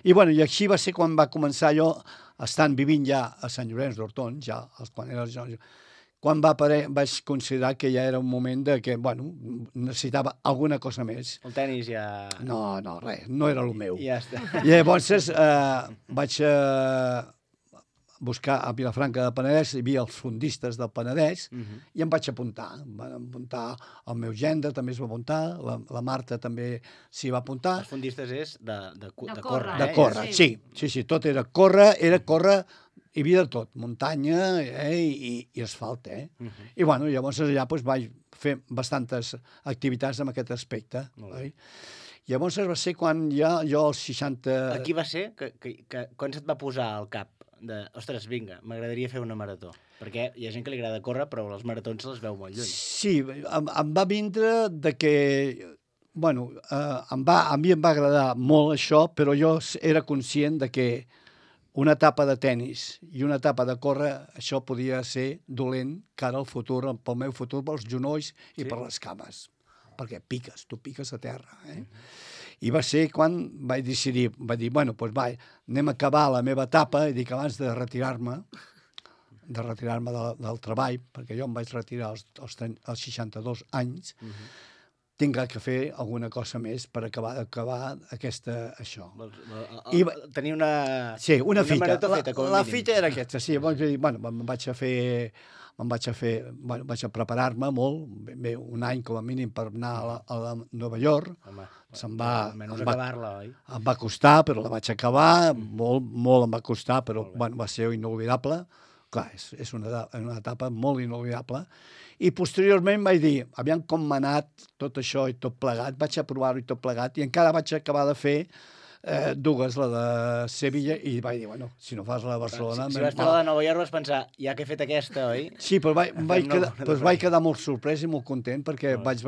I, bueno, i així va ser quan va començar jo, estant vivint ja a Sant Llorenç d'Hortons, ja quan quan vaig considerar que ja era un moment de que, bueno, necessitava alguna cosa més. El tenis ja... No, res, no era el meu. Ja està. I llavors vaig buscar a Vilafranca del Penedès, hi havia els fondistes del Penedès, i em vaig apuntar. Em van apuntar el meu gendre, també es va apuntar, la Marta també s'hi va apuntar. Els fondistes és de córrer. De córrer, sí, tot era córrer, hi havia de tot, muntanya i asfalt, I bueno, llavors allà vaig fer bastantes activitats en aquest aspecte. Llavors va ser quan ja jo als 60... Aquí va ser quan se't va posar al cap ostres, vinga, m'agradaria fer una marató. Perquè hi ha gent que li agrada córrer, però les maratons se les veu molt lluny. Sí, em va vindre de que... Bueno, a mi em va agradar molt això, però jo era conscient de que una etapa de tennis i una etapa de córrer, això podia ser dolent cara al futur, pel meu futur, pels genolls i per les cames. Perquè tu piques a terra. I va ser quan vaig decidir, bueno, doncs anem a acabar la meva etapa, i dic, abans de retirar-me del treball, perquè jo em vaig retirar als 62 anys, tinc que fer alguna cosa més per acabar això. Tenir una fita. Marató feta, com a mínim. La fita era aquesta, sí. Bueno, vaig a preparar-me molt, bé, un any com a mínim per anar a Nova York. Em va costar, però la vaig acabar, molt em va costar, però va ser inolvidable. Clar, és una etapa molt inolvidable. I posteriorment vaig dir, aviam com m'ha anat tot això i tot plegat, vaig a provar-ho i tot plegat, i encara vaig acabar de fer dues, la de Sevilla, i vaig dir, bueno, si no fas la de Barcelona... Si vas fer la de Nova York vas pensar, ja que he fet aquesta, oi? Sí, però vaig quedar molt sorprès i molt content, perquè vaig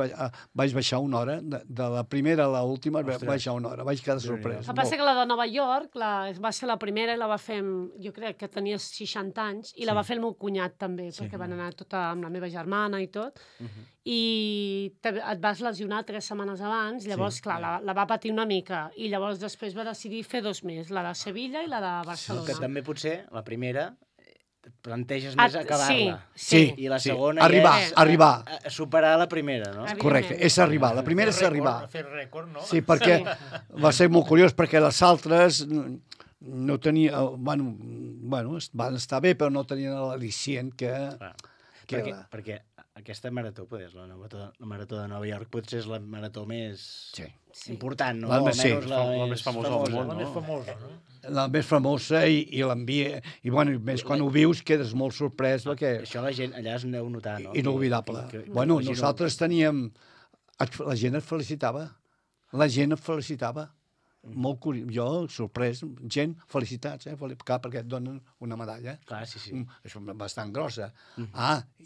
baixar una hora, de la primera a l'última vaig baixar una hora, vaig quedar sorprès. El que passa que la de Nova York va ser la primera i la va fer, jo crec que tenia 60 anys, i la va fer el meu cunyat també, perquè van anar tota amb la meva germana i tot, i et vas lesionar 3 setmanes abans, llavors, clar, la va patir una mica, i llavors després va decidir fer 2 més, la de Sevilla i la de Barcelona. Que també potser, la primera, planteges més acabar-la. Sí. I la segona arribar. Superar la primera, no? Correcte, és arribar. La primera és arribar. Fer rècord, no? Sí, perquè va ser molt curiós, perquè les altres no tenia... Bueno, van estar bé, però no tenien l'al·licient que... Perquè aquesta marató, la marató de Nova York, potser és la marató més important, no? La més famosa del món, no? La més famosa, no? La més famosa i l'envia... I, bueno, més quan ho vius quedes molt sorprès, perquè... Això la gent allà es deu notar, no? Inolvidable. Bueno, nosaltres teníem... La gent et felicitava. Molt curiós, jo sorprès, gent, felicitats, clar, perquè et donen una medalla. Clar, sí. És bastant grossa.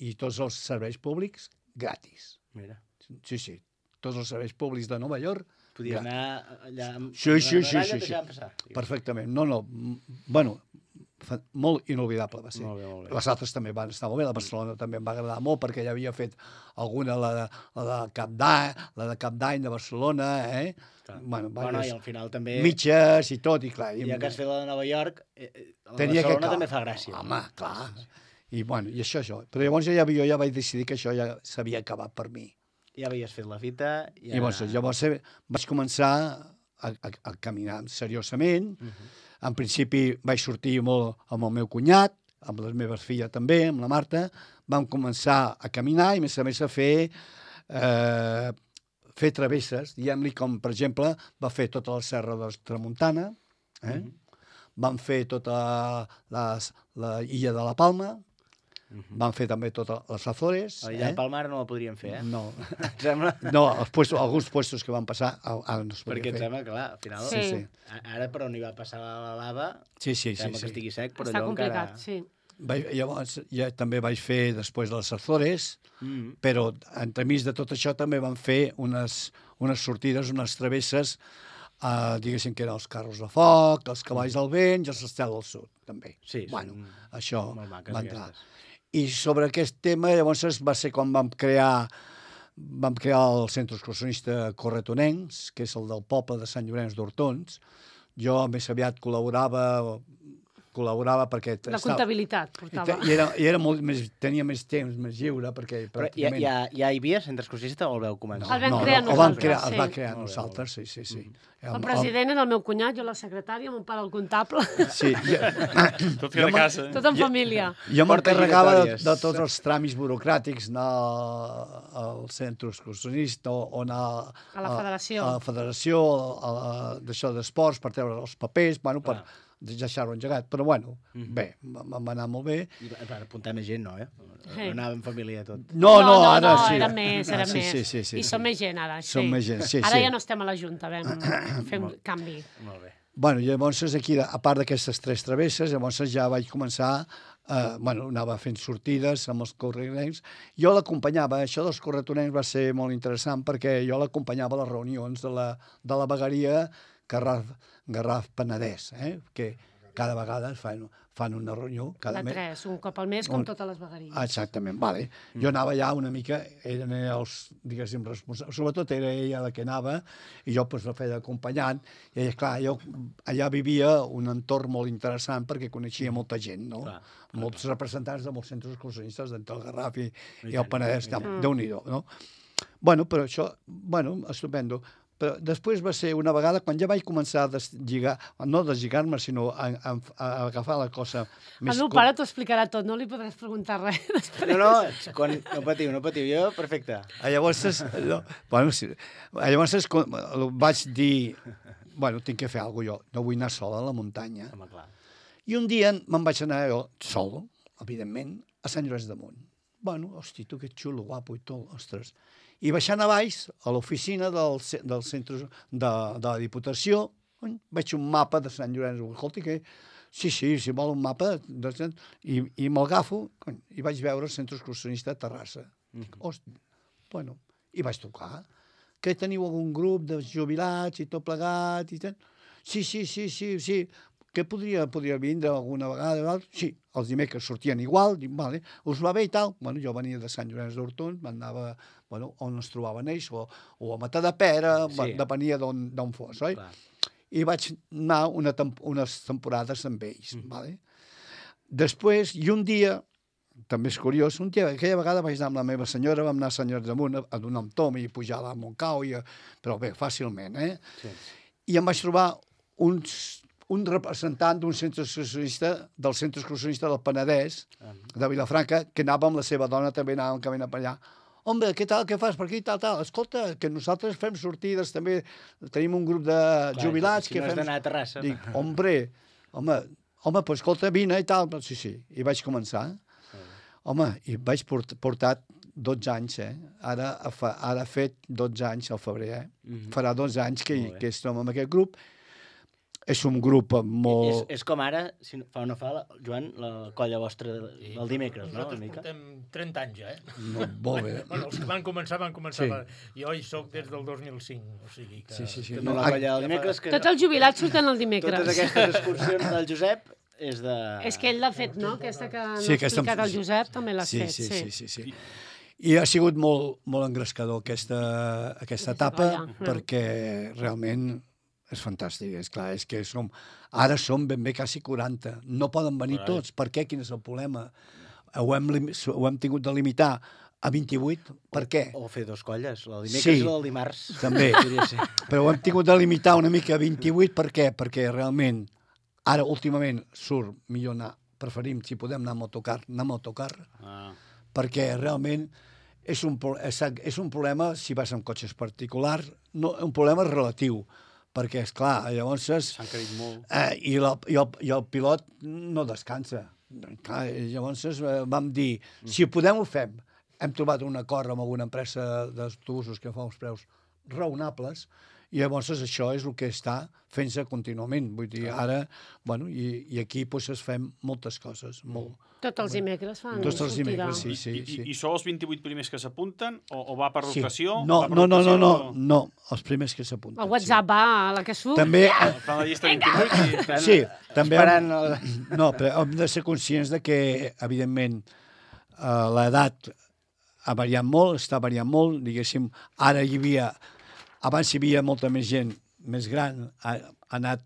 I tots els serveis públics, gratis. Mira. Sí. Tots els serveis públics de Nova York, podia anar allà amb Sí. passar. Perfectament. No. Bueno, molt inolvidable va ser. Molt bé. Les altres també van estar molt bé. La Barcelona també em va agradar molt, perquè ja havia fet alguna, la de Cap d'Any de Barcelona, Bueno, i al final també... Mitges i tot, i clar... Ja que has fet la de Nova York, la de Barcelona també fa gràcia. Home, clar. I això. Però llavors jo ja vaig decidir que això ja s'havia acabat per mi. Ja havies fet la fita... I llavors vaig començar a caminar seriosament. En principi vaig sortir molt amb el meu cunyat, amb les meves filles també, amb la Marta. Vam començar a caminar i, a més, a fer travesses, diguem-li, com, per exemple, va fer tota la serra de Tramuntana, vam fer tota la illa de la Palma, van fer també totes les Azores. Allà a Palma no la podríem fer, No. Et sembla? No, alguns puestos que van passar ara no es podia fer. Perquè et sembla, clar, al final... Sí. Ara per on hi va passar la lava, sí. sembla que estigui sec, però està allò complicat, encara... sí. Llavors ja també vaig fer després les Azores, però entremig de tot això també van fer unes sortides, unes travesses, diguéssim que eren els carros de foc, els cavalls del vent i els Estel del Sud, també. Sí, això va entrar. I sobre aquest tema, llavors va ser quan vam crear el Centre Excursionista Corretonencs, que és el del poble de Sant Llorenç d'Hortons. Jo més aviat col·laborava col·laborava perquè... La comptabilitat portava. I era molt més, tenia més temps, més lliure, perquè Però pràcticament... ja hi havia centre exclusivista o el veu començar? El vam crear nosaltres, el va crear nosaltres, sí. El president era el meu cunyat, jo la secretària, mon pare el comptable. Sí. Tot queda a casa. Tot en família. Jo m'encarregava de tots els tràmits burocràtics, anar al centre excursionista o anar A la federació. A la federació, d'això d'esports, per treure els papers, bueno, per deixar-ho engegat. Però, bueno, bé, va anar molt bé. I per apuntar més gent, no, eh? No anava en família tot. No, ara sí. Era més. Sí. I som més gent, ara. Som més gent, sí. Ara ja no estem a la Junta, fem canvi. Molt bé. Bueno, llavors aquí, a part d'aquestes 3 travesses, llavors ja vaig començar, anava fent sortides amb els corretonencs. Jo l'acompanyava, això dels corretonencs va ser molt interessant perquè jo l'acompanyava a les reunions de la vegueria Garraf Penedès, que cada vegada fan una reunió. De 3, un cop al mes, com totes les vegueries. Exactament, vale. Jo anava allà una mica, eren els, diguéssim, responsables, sobretot era ella la que anava, i jo la feia acompanyant, i clar, jo allà vivia un entorn molt interessant perquè coneixia molta gent, no? Molts representants de molts centres excursionistes d'entre el Garraf i el Penedès, Déu-n'hi-do, no? Bueno, però això, estupendo. Però després va ser una vegada, quan ja vaig començar a deslligar, no deslligar-me, sinó a agafar la cosa més... El meu pare t'ho explicarà tot, no li podràs preguntar res després. No patiu, jo, perfecte. Llavors, vaig dir, tinc que fer alguna cosa jo, no vull anar sola a la muntanya. I un dia me'n vaig anar jo, sol, evidentment, a Sant Llorenç de Munt. Hosti, tu que xulo, guapo i tot, ostres... I baixant a baix, a l'oficina del centre de la Diputació, veig un mapa de Sant Llorenç. Escolta, que... Sí, si vol un mapa, i me'l agafo, i vaig veure el centre excursionista a Terrassa. Hosti, i vaig trucar. Que teniu algun grup de jubilats i tot plegat? Sí. Que podria vindre alguna vegada? Sí, els dimecres sortien igual, vale, us va bé i tal. Jo venia de Sant Llorenç d'Hortons, m'anava on es trobaven ells, o a Matadepera, depenia d'on fos, oi? I vaig anar unes temporades amb ells, vale? Després, i un dia, també és curiós, aquella vegada vaig anar amb la meva senyora, vam anar a Sant Llorenç de Munt a donar un tom i pujar a Montcau, però bé, fàcilment, I em vaig trobar un representant d'un centre excursionista, del centre excursionista del Penedès, de Vilafranca, que anava amb la seva dona, també anàvem caminant per allà. Home, què tal, què fas per aquí, tal. Escolta, que nosaltres fem sortides, també tenim un grup de jubilats. Si no has d'anar a Terrassa. Dic, home, doncs escolta, vine i tal. Sí, i vaig començar. Home, i vaig portar 12 anys, Ara ha fet 12 anys al febrer, Farà 12 anys que estem en aquest grup. És un grup molt... És com ara, si fa o no fa, Joan, la colla vostra del dimecres, no? Nosaltres portem 30 anys, No, molt bé. Els que van començar. Jo hi soc des del 2005, o sigui que... Sí. La colla del dimecres... Tots els jubilats surten el dimecres. Totes aquestes excursions del Josep és de... És que ell l'ha fet, no? Aquesta que ha explicat el Josep també l'ha fet. Sí. I ha sigut molt engrescador aquesta etapa, perquè realment... És fantàstic, és clar, és que ara som ben bé quasi 40. No poden venir tots. Per què? Quin és el problema? Ho hem tingut de limitar a 28. Per què? O fer 2 colles, la del dimecres i la del dimarts. També, però ho hem tingut de limitar una mica a 28. Per què? Perquè realment, ara últimament surt millor anar, preferim, si podem anar amb autocar, perquè realment és un problema si vas amb cotxes particulars, un problema relatiu, perquè, esclar, llavors... S'han carit molt. I el pilot no descansa. Clar, llavors vam dir, si podem ho fem. Hem trobat un acord amb alguna empresa d'autobusos que fa uns preus raonables, i llavors això és el que està fent-se contínuament. Vull dir, ara, i aquí es fem moltes coses, molt. Tots els dimecres fan sortida. Tots els dimecres, sí. I sou els 28 primers que s'apunten? O va per rotació? No, els primers que s'apunten. El WhatsApp va a la que surt. També... Fan la llista 28 i... Sí, també... No, però hem de ser conscients de que, evidentment, l'edat ha variat molt, està variant molt, diguéssim, ara abans hi havia molta més gent més gran, ha anat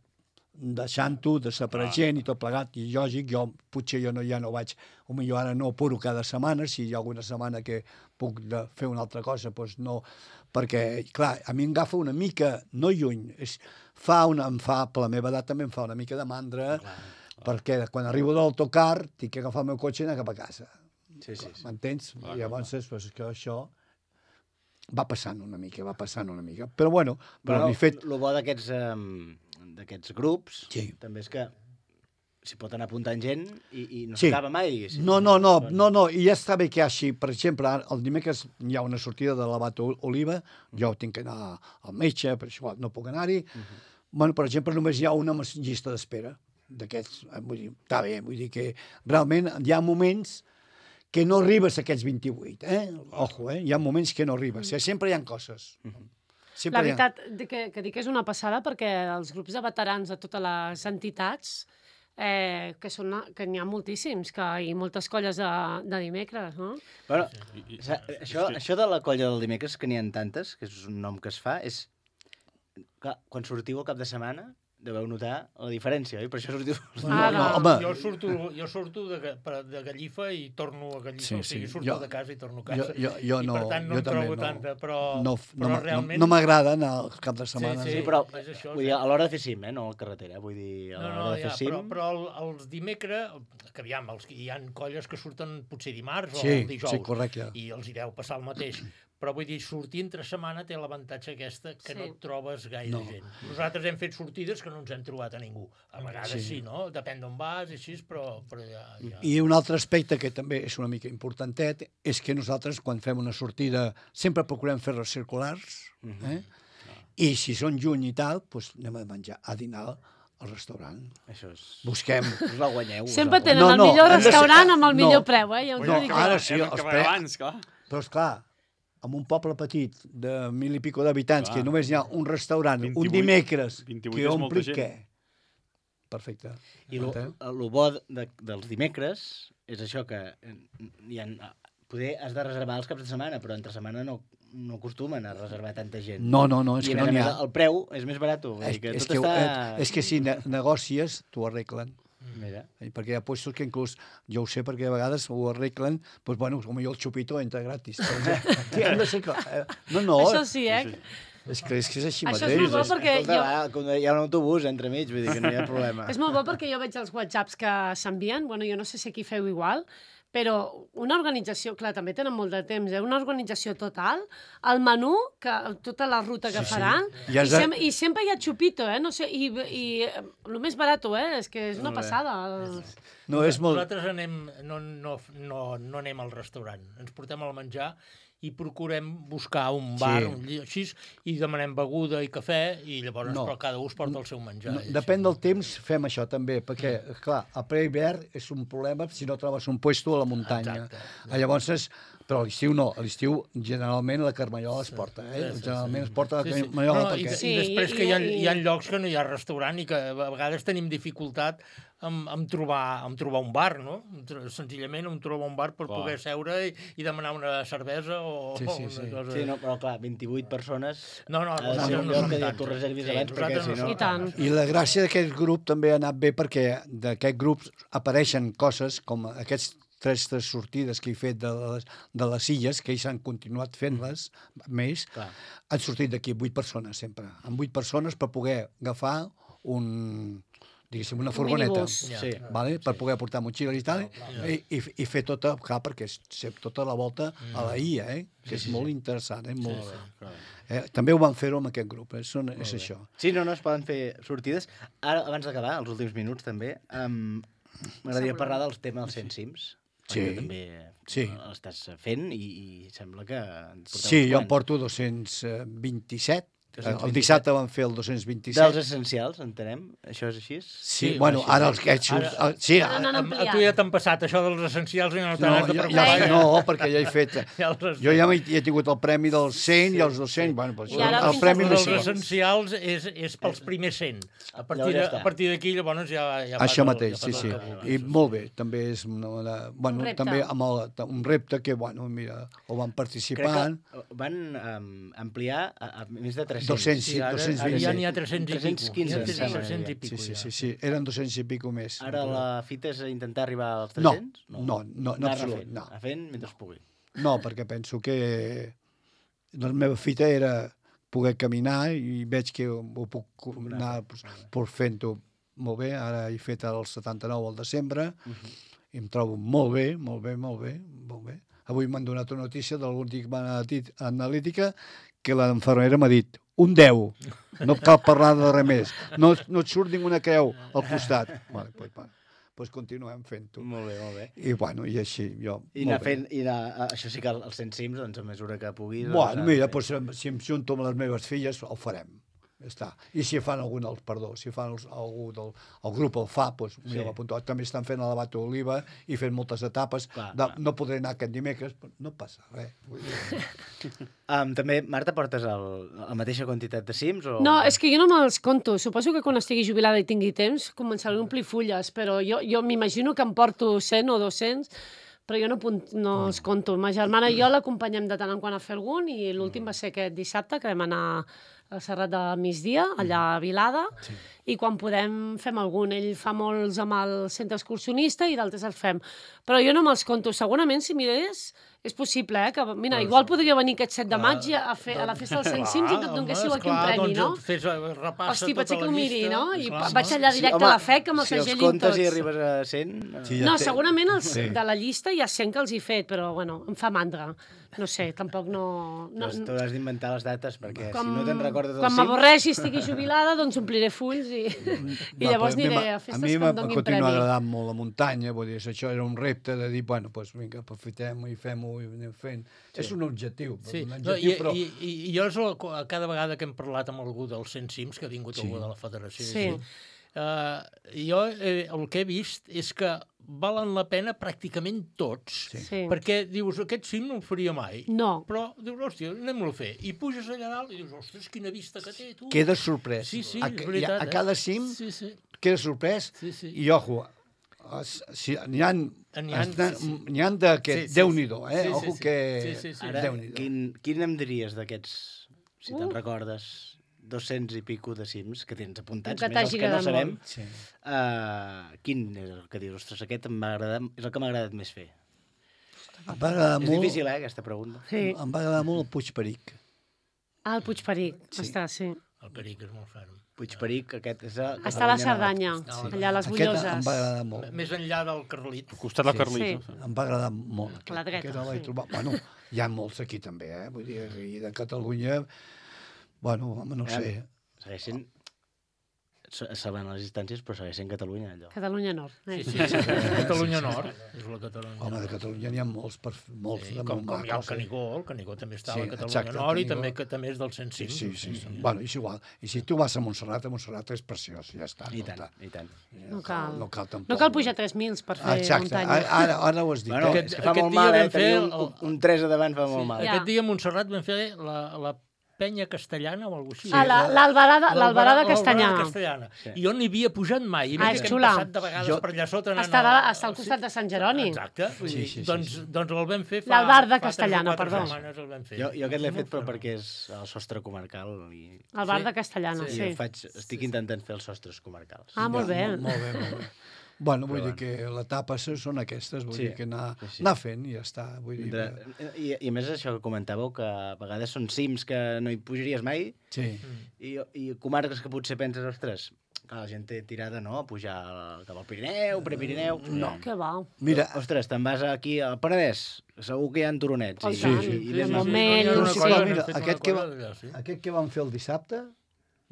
deixant-ho, desapareixent i tot plegat, i lògic, potser jo ja no vaig, potser ara no apuro cada setmana, si hi ha alguna setmana que puc fer una altra cosa, doncs no, perquè, clar, a mi em agafa una mica, no lluny, em fa, per la meva edat també em fa una mica de mandra, perquè quan arribo de l'autocar tinc que agafar el meu cotxe i anar cap a casa. M'entens? I llavors, doncs, que això va passant una mica. Però, bueno, el bo d'aquests grups també és que s'hi pot anar apuntant gent i no s'acaba mai. No, i ja està bé que hi ha així. Per exemple, el dimecres hi ha una sortida de l'Abat Oliva, jo tinc que anar al metge, per això no puc anar-hi. Bueno, per exemple, només hi ha una llista d'espera d'aquests. Vull dir, està bé, vull dir que realment hi ha moments que no arribes a aquests 28, Ojo, hi ha moments que no arribes. Sempre hi ha coses. La veritat que dic que és una passada perquè els grups de veterans de totes les entitats, que n'hi ha moltíssims, i moltes colles de dimecres, no? Bueno, això de la colla del dimecres, que n'hi ha tantes, que és un nom que es fa, és... Quan sortiu al cap de setmana, deveu notar la diferència, oi? Per això sortiu... Jo surto de Gallifa i torno a Gallifa, o sigui, surto de casa i torno a casa. Jo no, i per tant no em trobo tanta, però realment... No m'agrada anar al cap de setmana. Sí, però a l'hora de fer cim, no a la carretera, vull dir, a l'hora de fer cim... Però els dimecres, que aviam, hi ha colles que surten potser dimarts o el dijous, i els hi deu passar el mateix. Però vull dir, sortir entre setmana té l'avantatge aquesta que no et trobes gaire gent. Nosaltres hem fet sortides que no ens hem trobat a ningú. A vegades sí, no? Depèn d'on vas, així, però ja... I un altre aspecte que també és una mica importantet és que nosaltres, quan fem una sortida, sempre procurem fer-les circulars, i si són juny i tal, doncs anem a menjar, a dinar al restaurant. Això és... Busquem... Us la guanyeu. Sempre tenen el millor restaurant amb el millor preu, Ara sí, però esclar, en un poble petit de 1.000 i pico d'habitants, que només hi ha un restaurant, un dimecres, que ompli què? Perfecte. I el bo dels dimecres és això, que poder has de reservar els caps de setmana, però entre setmana no acostumen a reservar tanta gent. No, és que no n'hi ha. El preu és més barat. És que si negòcies, t'ho arreglen. Mira. Perquè hi ha puestos que inclús, jo ho sé perquè a vegades ho arreglen, doncs bueno, potser el xupito entra gratis. Hem de ser clar. Això sí, És que és així mateix. Això és molt bo perquè hi ha un autobús entremig, vull dir que no hi ha problema. És molt bo perquè jo veig els whatsapps que s'envien, bueno, jo no sé si aquí feu igual, però una organització, clar, també tenen molt de temps, una organització total, el menú, tota la ruta que faran, i sempre hi ha xupito, no sé, i el més barat, és que és una passada. Nosaltres no anem al restaurant, ens portem al menjar i procurem buscar un bar, un lloc així, i demanem beguda i cafè, i llavors cada un es porta el seu menjar. Depèn del temps, fem això també, perquè, clar, a ple-hivern és un problema si no trobes un puesto a la muntanya. Llavors, però a l'estiu no, a l'estiu generalment la Carmanyola es porta, generalment es porta la Carmanyola. I després que hi ha llocs que no hi ha restaurant i que a vegades tenim dificultat en trobar un bar, no? Senzillament trobar un bar per poder seure i demanar una cervesa o una cosa... Sí, però clar, 28 persones... No són tants. Tu reservis abans, perquè si no... I la gràcia d'aquest grup també ha anat bé perquè d'aquest grup apareixen coses com aquests tres sortides que he fet de les illes, que ells han continuat fent-les més, han sortit d'aquí 8 persones sempre. Amb 8 persones per poder agafar una furgoneta, per poder portar motxilles i tal, i fer tota, perquè tota la volta a la illa, que és molt interessant, també ho van fer-ho amb aquest grup, és això. Sí, no, es poden fer sortides. Ara, abans d'acabar, els últims minuts també, m'agradaria parlar del tema dels 100 cims. Sí. També l'estàs fent i sembla que... Sí, jo en porto 227. El dissabte van fer el 227. Dels essencials, entenem? Això és així? Sí, bueno, ara els que... Sí, a tu ja t'han passat això dels essencials i no t'has de preocupar. No, perquè ja he fet... Jo ja he tingut el premi dels 100 i els 200. Bueno, el premi dels essencials és pels primers 100. A partir d'aquí, llavors, ja... Això mateix, sí. I molt bé, també és també amb un repte que, bueno, mira, ho van participant. Crec que van ampliar a més de 300 220. Ja n'hi ha 300 i pico. 315, 300 i pico. Sí, eren 200 i pico més. Ara la fita és intentar arribar als 300? No, absolut, no. Anar fent mentre es pugui. No, perquè penso que la meva fita era poder caminar i veig que ho puc anar fent-ho molt bé. Ara he fet el 79 al desembre i em trobo molt bé. Avui m'han donat una notícia de l'última analítica que l'enfermera m'ha dit un 10, no cal parlar de res més, no et surt ninguna creu al costat. Vale, doncs continuem fent-ho. Molt bé. I bueno, i així, jo... I anar fent, això sí que els 100 cims, doncs a mesura que puguis... Bueno, mira, si em junto amb les meves filles, el farem. Ja està. I si fan algú del grup el fa, doncs mira, l'apunto. També estan fent el Bato d'Oliva i fent moltes etapes. No podré anar aquest dimecres, però no passa res. També, Marta, portes la mateixa quantitat de cims? No, és que jo no me'ls conto. Suposo que quan estigui jubilada i tingui temps començaré a omplir fulles, però jo m'imagino que em porto 100 o 200, però jo no els conto. Ma germana i jo l'acompanyem de tant en quant a fer algun i l'últim va ser aquest dissabte, que vam anar al Serrat de Migdia, allà a Vilada, i quan podem fem algun. Ell fa molts amb el centre excursionista i d'altres els fem. Però jo no me'ls conto. Segurament, si mirés, és possible, que, mira, igual podria venir aquest 7 de maig a la festa dels 100 cims i que et donéssiu aquí un premi, no? Hosti, pot ser que ho miri, no? I vaig allà directe a la FEC amb el segell i tots. Si els comptes i arribes a 100... No, segurament de la llista hi ha 100 que els he fet, però, bueno, em fa mandra. No sé, tampoc no... T'hauràs d'inventar les dates, perquè si no te'n recordes dels 5... Quan m'avorreixi i estigui jubilada, doncs ompliré fulls i llavors aniré a festes que em donin premi. A mi m'ha continuat agradant molt la muntanya, vull dir, això era un repte de dir, bueno, doncs vinga, aprofitem-ho i fem-ho i anem fent. És un objectiu. I jo cada vegada que hem parlat amb algú dels 100 cims, que ha vingut algú de la federació, jo el que he vist és que valen la pena pràcticament tots, perquè dius, aquest cim no el faria mai, però dius, hòstia, anem-lo a fer, i puges allà dalt i dius, ostres, quina vista que té, tu. Queda sorprès. Sí, és veritat. A cada cim queda sorprès i, ojo, n'hi ha d'aquest, Déu-n'hi-do, ojo que... Ara, quin em diries d'aquests, si te'n recordes, 200 i pico de cims que tens apuntats, més els que no sabem, quin és el que dius? Ostres, aquest és el que m'ha agradat més fer. És difícil, aquesta pregunta. Em va agradar molt el Puigperic. El Puigperic, està, sí. El Peric és molt ferm. Puigperic, aquest és... Està a la Cerdanya, allà a les Bulloses. Aquest em va agradar molt. Més enllà del Carlit. Al costat del Carlit. Em va agradar molt. A la dreta, Bueno, hi ha molts aquí també, vull dir, de Catalunya... Bueno, home, no sé. Segueixen salvant les distàncies, però segueixen Catalunya, allò. Catalunya Nord. Sí, Catalunya Nord. És la Catalunya. Home, de Catalunya n'hi ha molts de com hi ha el Canigó també està a la Catalunya Nord i també és del 105. Sí. Bueno, és igual. I si tu vas a Montserrat és preciós, ja està. I tant. No cal. No cal tampoc. No cal pujar 3 mils per fer muntanya. Ara ho has dit. Bueno, és que fa molt mal, tenir un 3 a davant fa molt mal. Aquest dia a Montserrat vam fer la Penya Castellana o alguna cosa així. L'Albarada Castanyana. I jo n'hi havia pujat mai. És xula. Hem passat de vegades per allà sota. Està al costat de Sant Jeroni. Exacte. Doncs el vam fer fa... L'Albarda Castellana, perdó. Jo aquest l'he fet però perquè és el sostre comarcal. Albarda Castellana, sí. Estic intentant fer els sostres comarcals. Ah, molt bé. Molt bé. Bueno, vull dir que l'etapa són aquestes, vull dir que anar fent i ja està. I a més això que comentàveu, que a vegades són cims que no hi pujaries mai i comarques que potser penses, ostres, que la gent té tirada, no?, a pujar cap al Pirineu, Prepirineu... No, que va. Mira, ostres, te'n vas aquí al Penedès, segur que hi ha turonets. I Montmell... Aquest que vam fer el dissabte,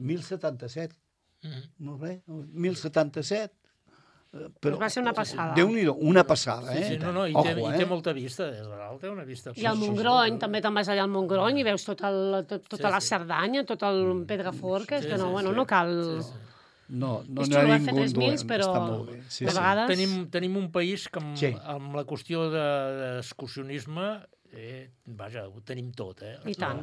1077. No res, 1077. Però va ser una passada. Déu-n'hi-do, una passada, i té molta vista, des de dalt té una vista. I al Montgrony, també te'n vas allà al Montgrony i veus tota la Cerdanya, tot el Pedraforca, és que no cal... No n'hi ha ningú dolent, està molt bé. De vegades... Tenim un país que amb la qüestió d'excursionisme vaja, ho tenim tot, I tant.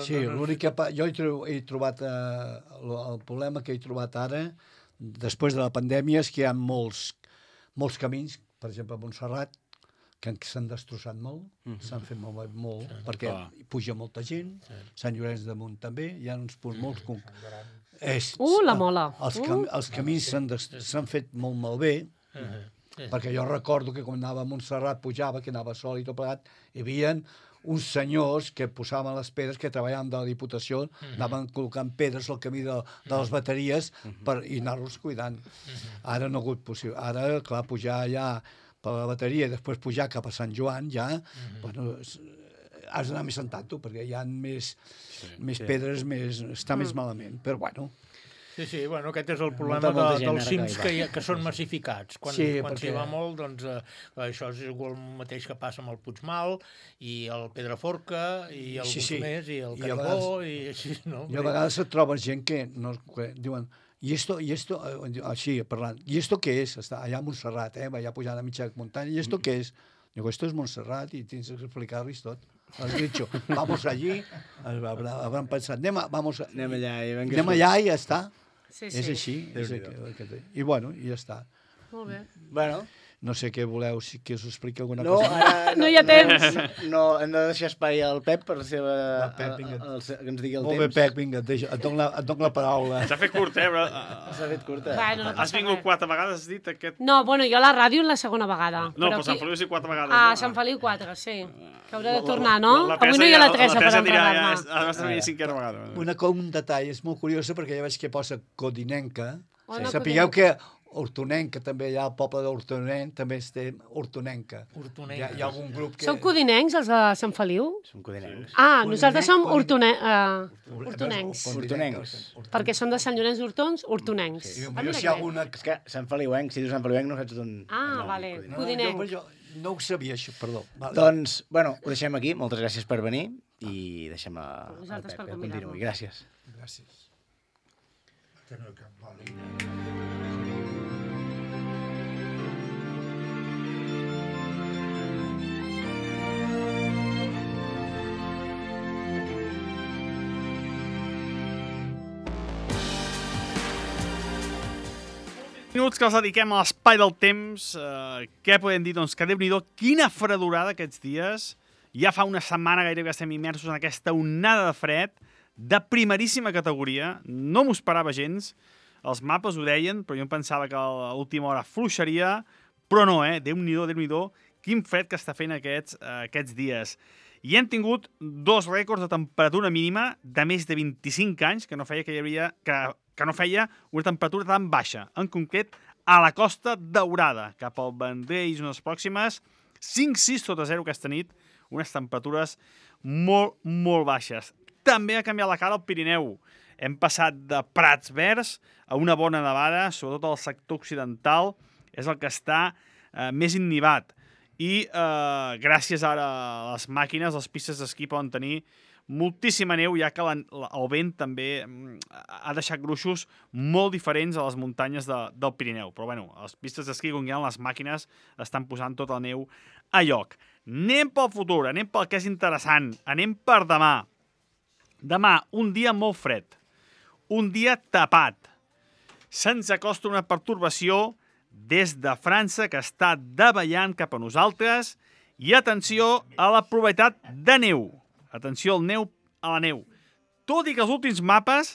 Sí, l'únic que jo he trobat el problema que he trobat ara després de la pandèmia és que hi ha molts camins, per exemple a Montserrat, que s'han destrossat molt, s'han fet molt, perquè puja molta gent, Sant Llorenç de Munt també, hi ha uns punts molt... La Mola! Els camins s'han fet molt malbé, perquè jo recordo que quan anava a Montserrat, pujava, que anava sol i tot plegat, hi havia uns senyors que posaven les pedres, que treballaven de la Diputació, anaven col·locant pedres al camí de les bateries i anar-los cuidant. Ara no ha hagut possible. Ara, clar, pujar allà per la bateria i després pujar cap a Sant Joan, ja, bueno, has d'anar més sentant tu, perquè hi ha més pedres, està més malament, però bueno... Sí, bueno, aquest és el problema dels cims que són massificats. Quan s'hi va molt, doncs això és igual el mateix que passa amb el Puigmal, i el Pedraforca, i el Busmés, i el Caribó, i així, no? I a vegades et trobes gent que diuen, i esto, així parlant, i esto què és? Està allà a Montserrat, allà pujant a mitja muntanya, i esto què és? Digo, esto es Montserrat, i tens que explicar-los tot. Has dicho, vamos allí, habrán pensat, anem allà i ja està. Sí. És així. I bueno, i ja està. Molt bé. Bueno, no sé què voleu, que us expliqui alguna cosa. Ara no hi ha temps. No, hem de deixar espai al Pep per que ens digui el temps. Molt bé, Pep, vinga, et dono la paraula. S'ha fet curt, però... S'ha fet curta. Bueno, has vingut 4 vegades, has dit aquest... No, bueno, jo a la ràdio la segona vegada. No, però Sant Feliu sí 4 vegades. Sant Feliu 4, sí. Que haurà de tornar, no? Avui no hi ha la Teresa per enfadar-me. Ha d'estar venint 5a vegada. Un detall, és molt curiós, perquè ja veig que posa Codinenca. Sapigueu que Hortonenca, també hi ha el poble d'Hortonenc, també es té Hortonenca. Hi ha algun grup que... Són codinencs, els de Sant Feliu? Som codinencs. Nosaltres som hortonencs. Perquè són de Sant Llorenç d'Hortons, hortonencs. És que Sant Feliuenc, si dius Sant Feliuenc no saps d'on... Vale, codinenc. Jo no ho sabia, això, perdó. Doncs, bueno, ho deixem aquí. Moltes gràcies per venir i deixem al Pep que continuï. Gràcies. Gràcies. Minuts que els dediquem a l'espai del temps. Què podem dir? Doncs que Déu-n'hi-do, quina fredurada aquests dies. Ja fa una setmana gairebé que estem immersos en aquesta onada de fred de primeríssima categoria. No m'ho esperava gens. Els mapes ho deien, però jo em pensava que a l'última hora fluixaria. Però no, Déu-n'hi-do, Déu-n'hi-do, quin fred que està fent aquests dies. I hem tingut 2 rècords de temperatura mínima de més de 25 anys, que no feia que no feia una temperatura tan baixa. En concret, a la Costa Daurada, cap al Vendrell i zones pròximes, 5-6 sota 0 aquesta nit, unes temperatures molt, molt baixes. També ha canviat la cara al Pirineu. Hem passat de prats verds a una bona nevada, sobretot al sector occidental, és el que està més innivat. I gràcies ara a les màquines, les pistes d'esquí poden tenir moltíssima neu, ja que el vent també ha deixat gruixos molt diferents a les muntanyes del Pirineu. Però bueno, les pistes d'esquí, com hi ha les màquines, estan posant tota la neu a lloc. Anem pel futur, anem pel que és interessant, anem per demà. Demà, un dia molt fred, un dia tapat. Se'ns acosta una pertorbació des de França que està davallant cap a nosaltres i atenció a la probabilitat de neu. Atenció a la neu. Tot i que els últims mapes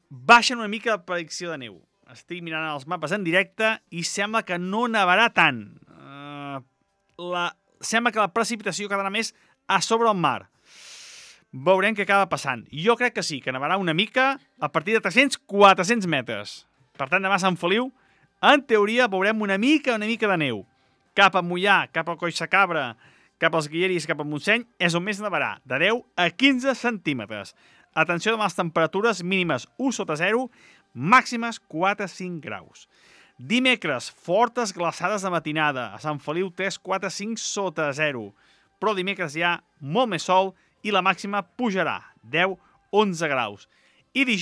baixen una mica la predicció de neu. Estic mirant els mapes en directe i sembla que no nevarà tant. Sembla que la precipitació quedarà més a sobre el mar. Veurem què acaba passant. Jo crec que sí, que nevarà una mica a partir de 300-400 metres. Per tant, demà a Sant Feliu, en teoria, veurem una mica de neu. Cap a Mollà, cap a Collsacabra, cap als Guilleris, cap a Montseny, és on més nevarà, de 10 a 15 centímetres. Atenció demà a les temperatures mínimes 1 sota 0, màximes 4-5 graus. Dimecres, fortes glaçades de matinada, a Sant Feliu 3-4-5 sota 0. Però dimecres hi ha molt més sol i la màxima pujarà, 10-11 graus. I dijous,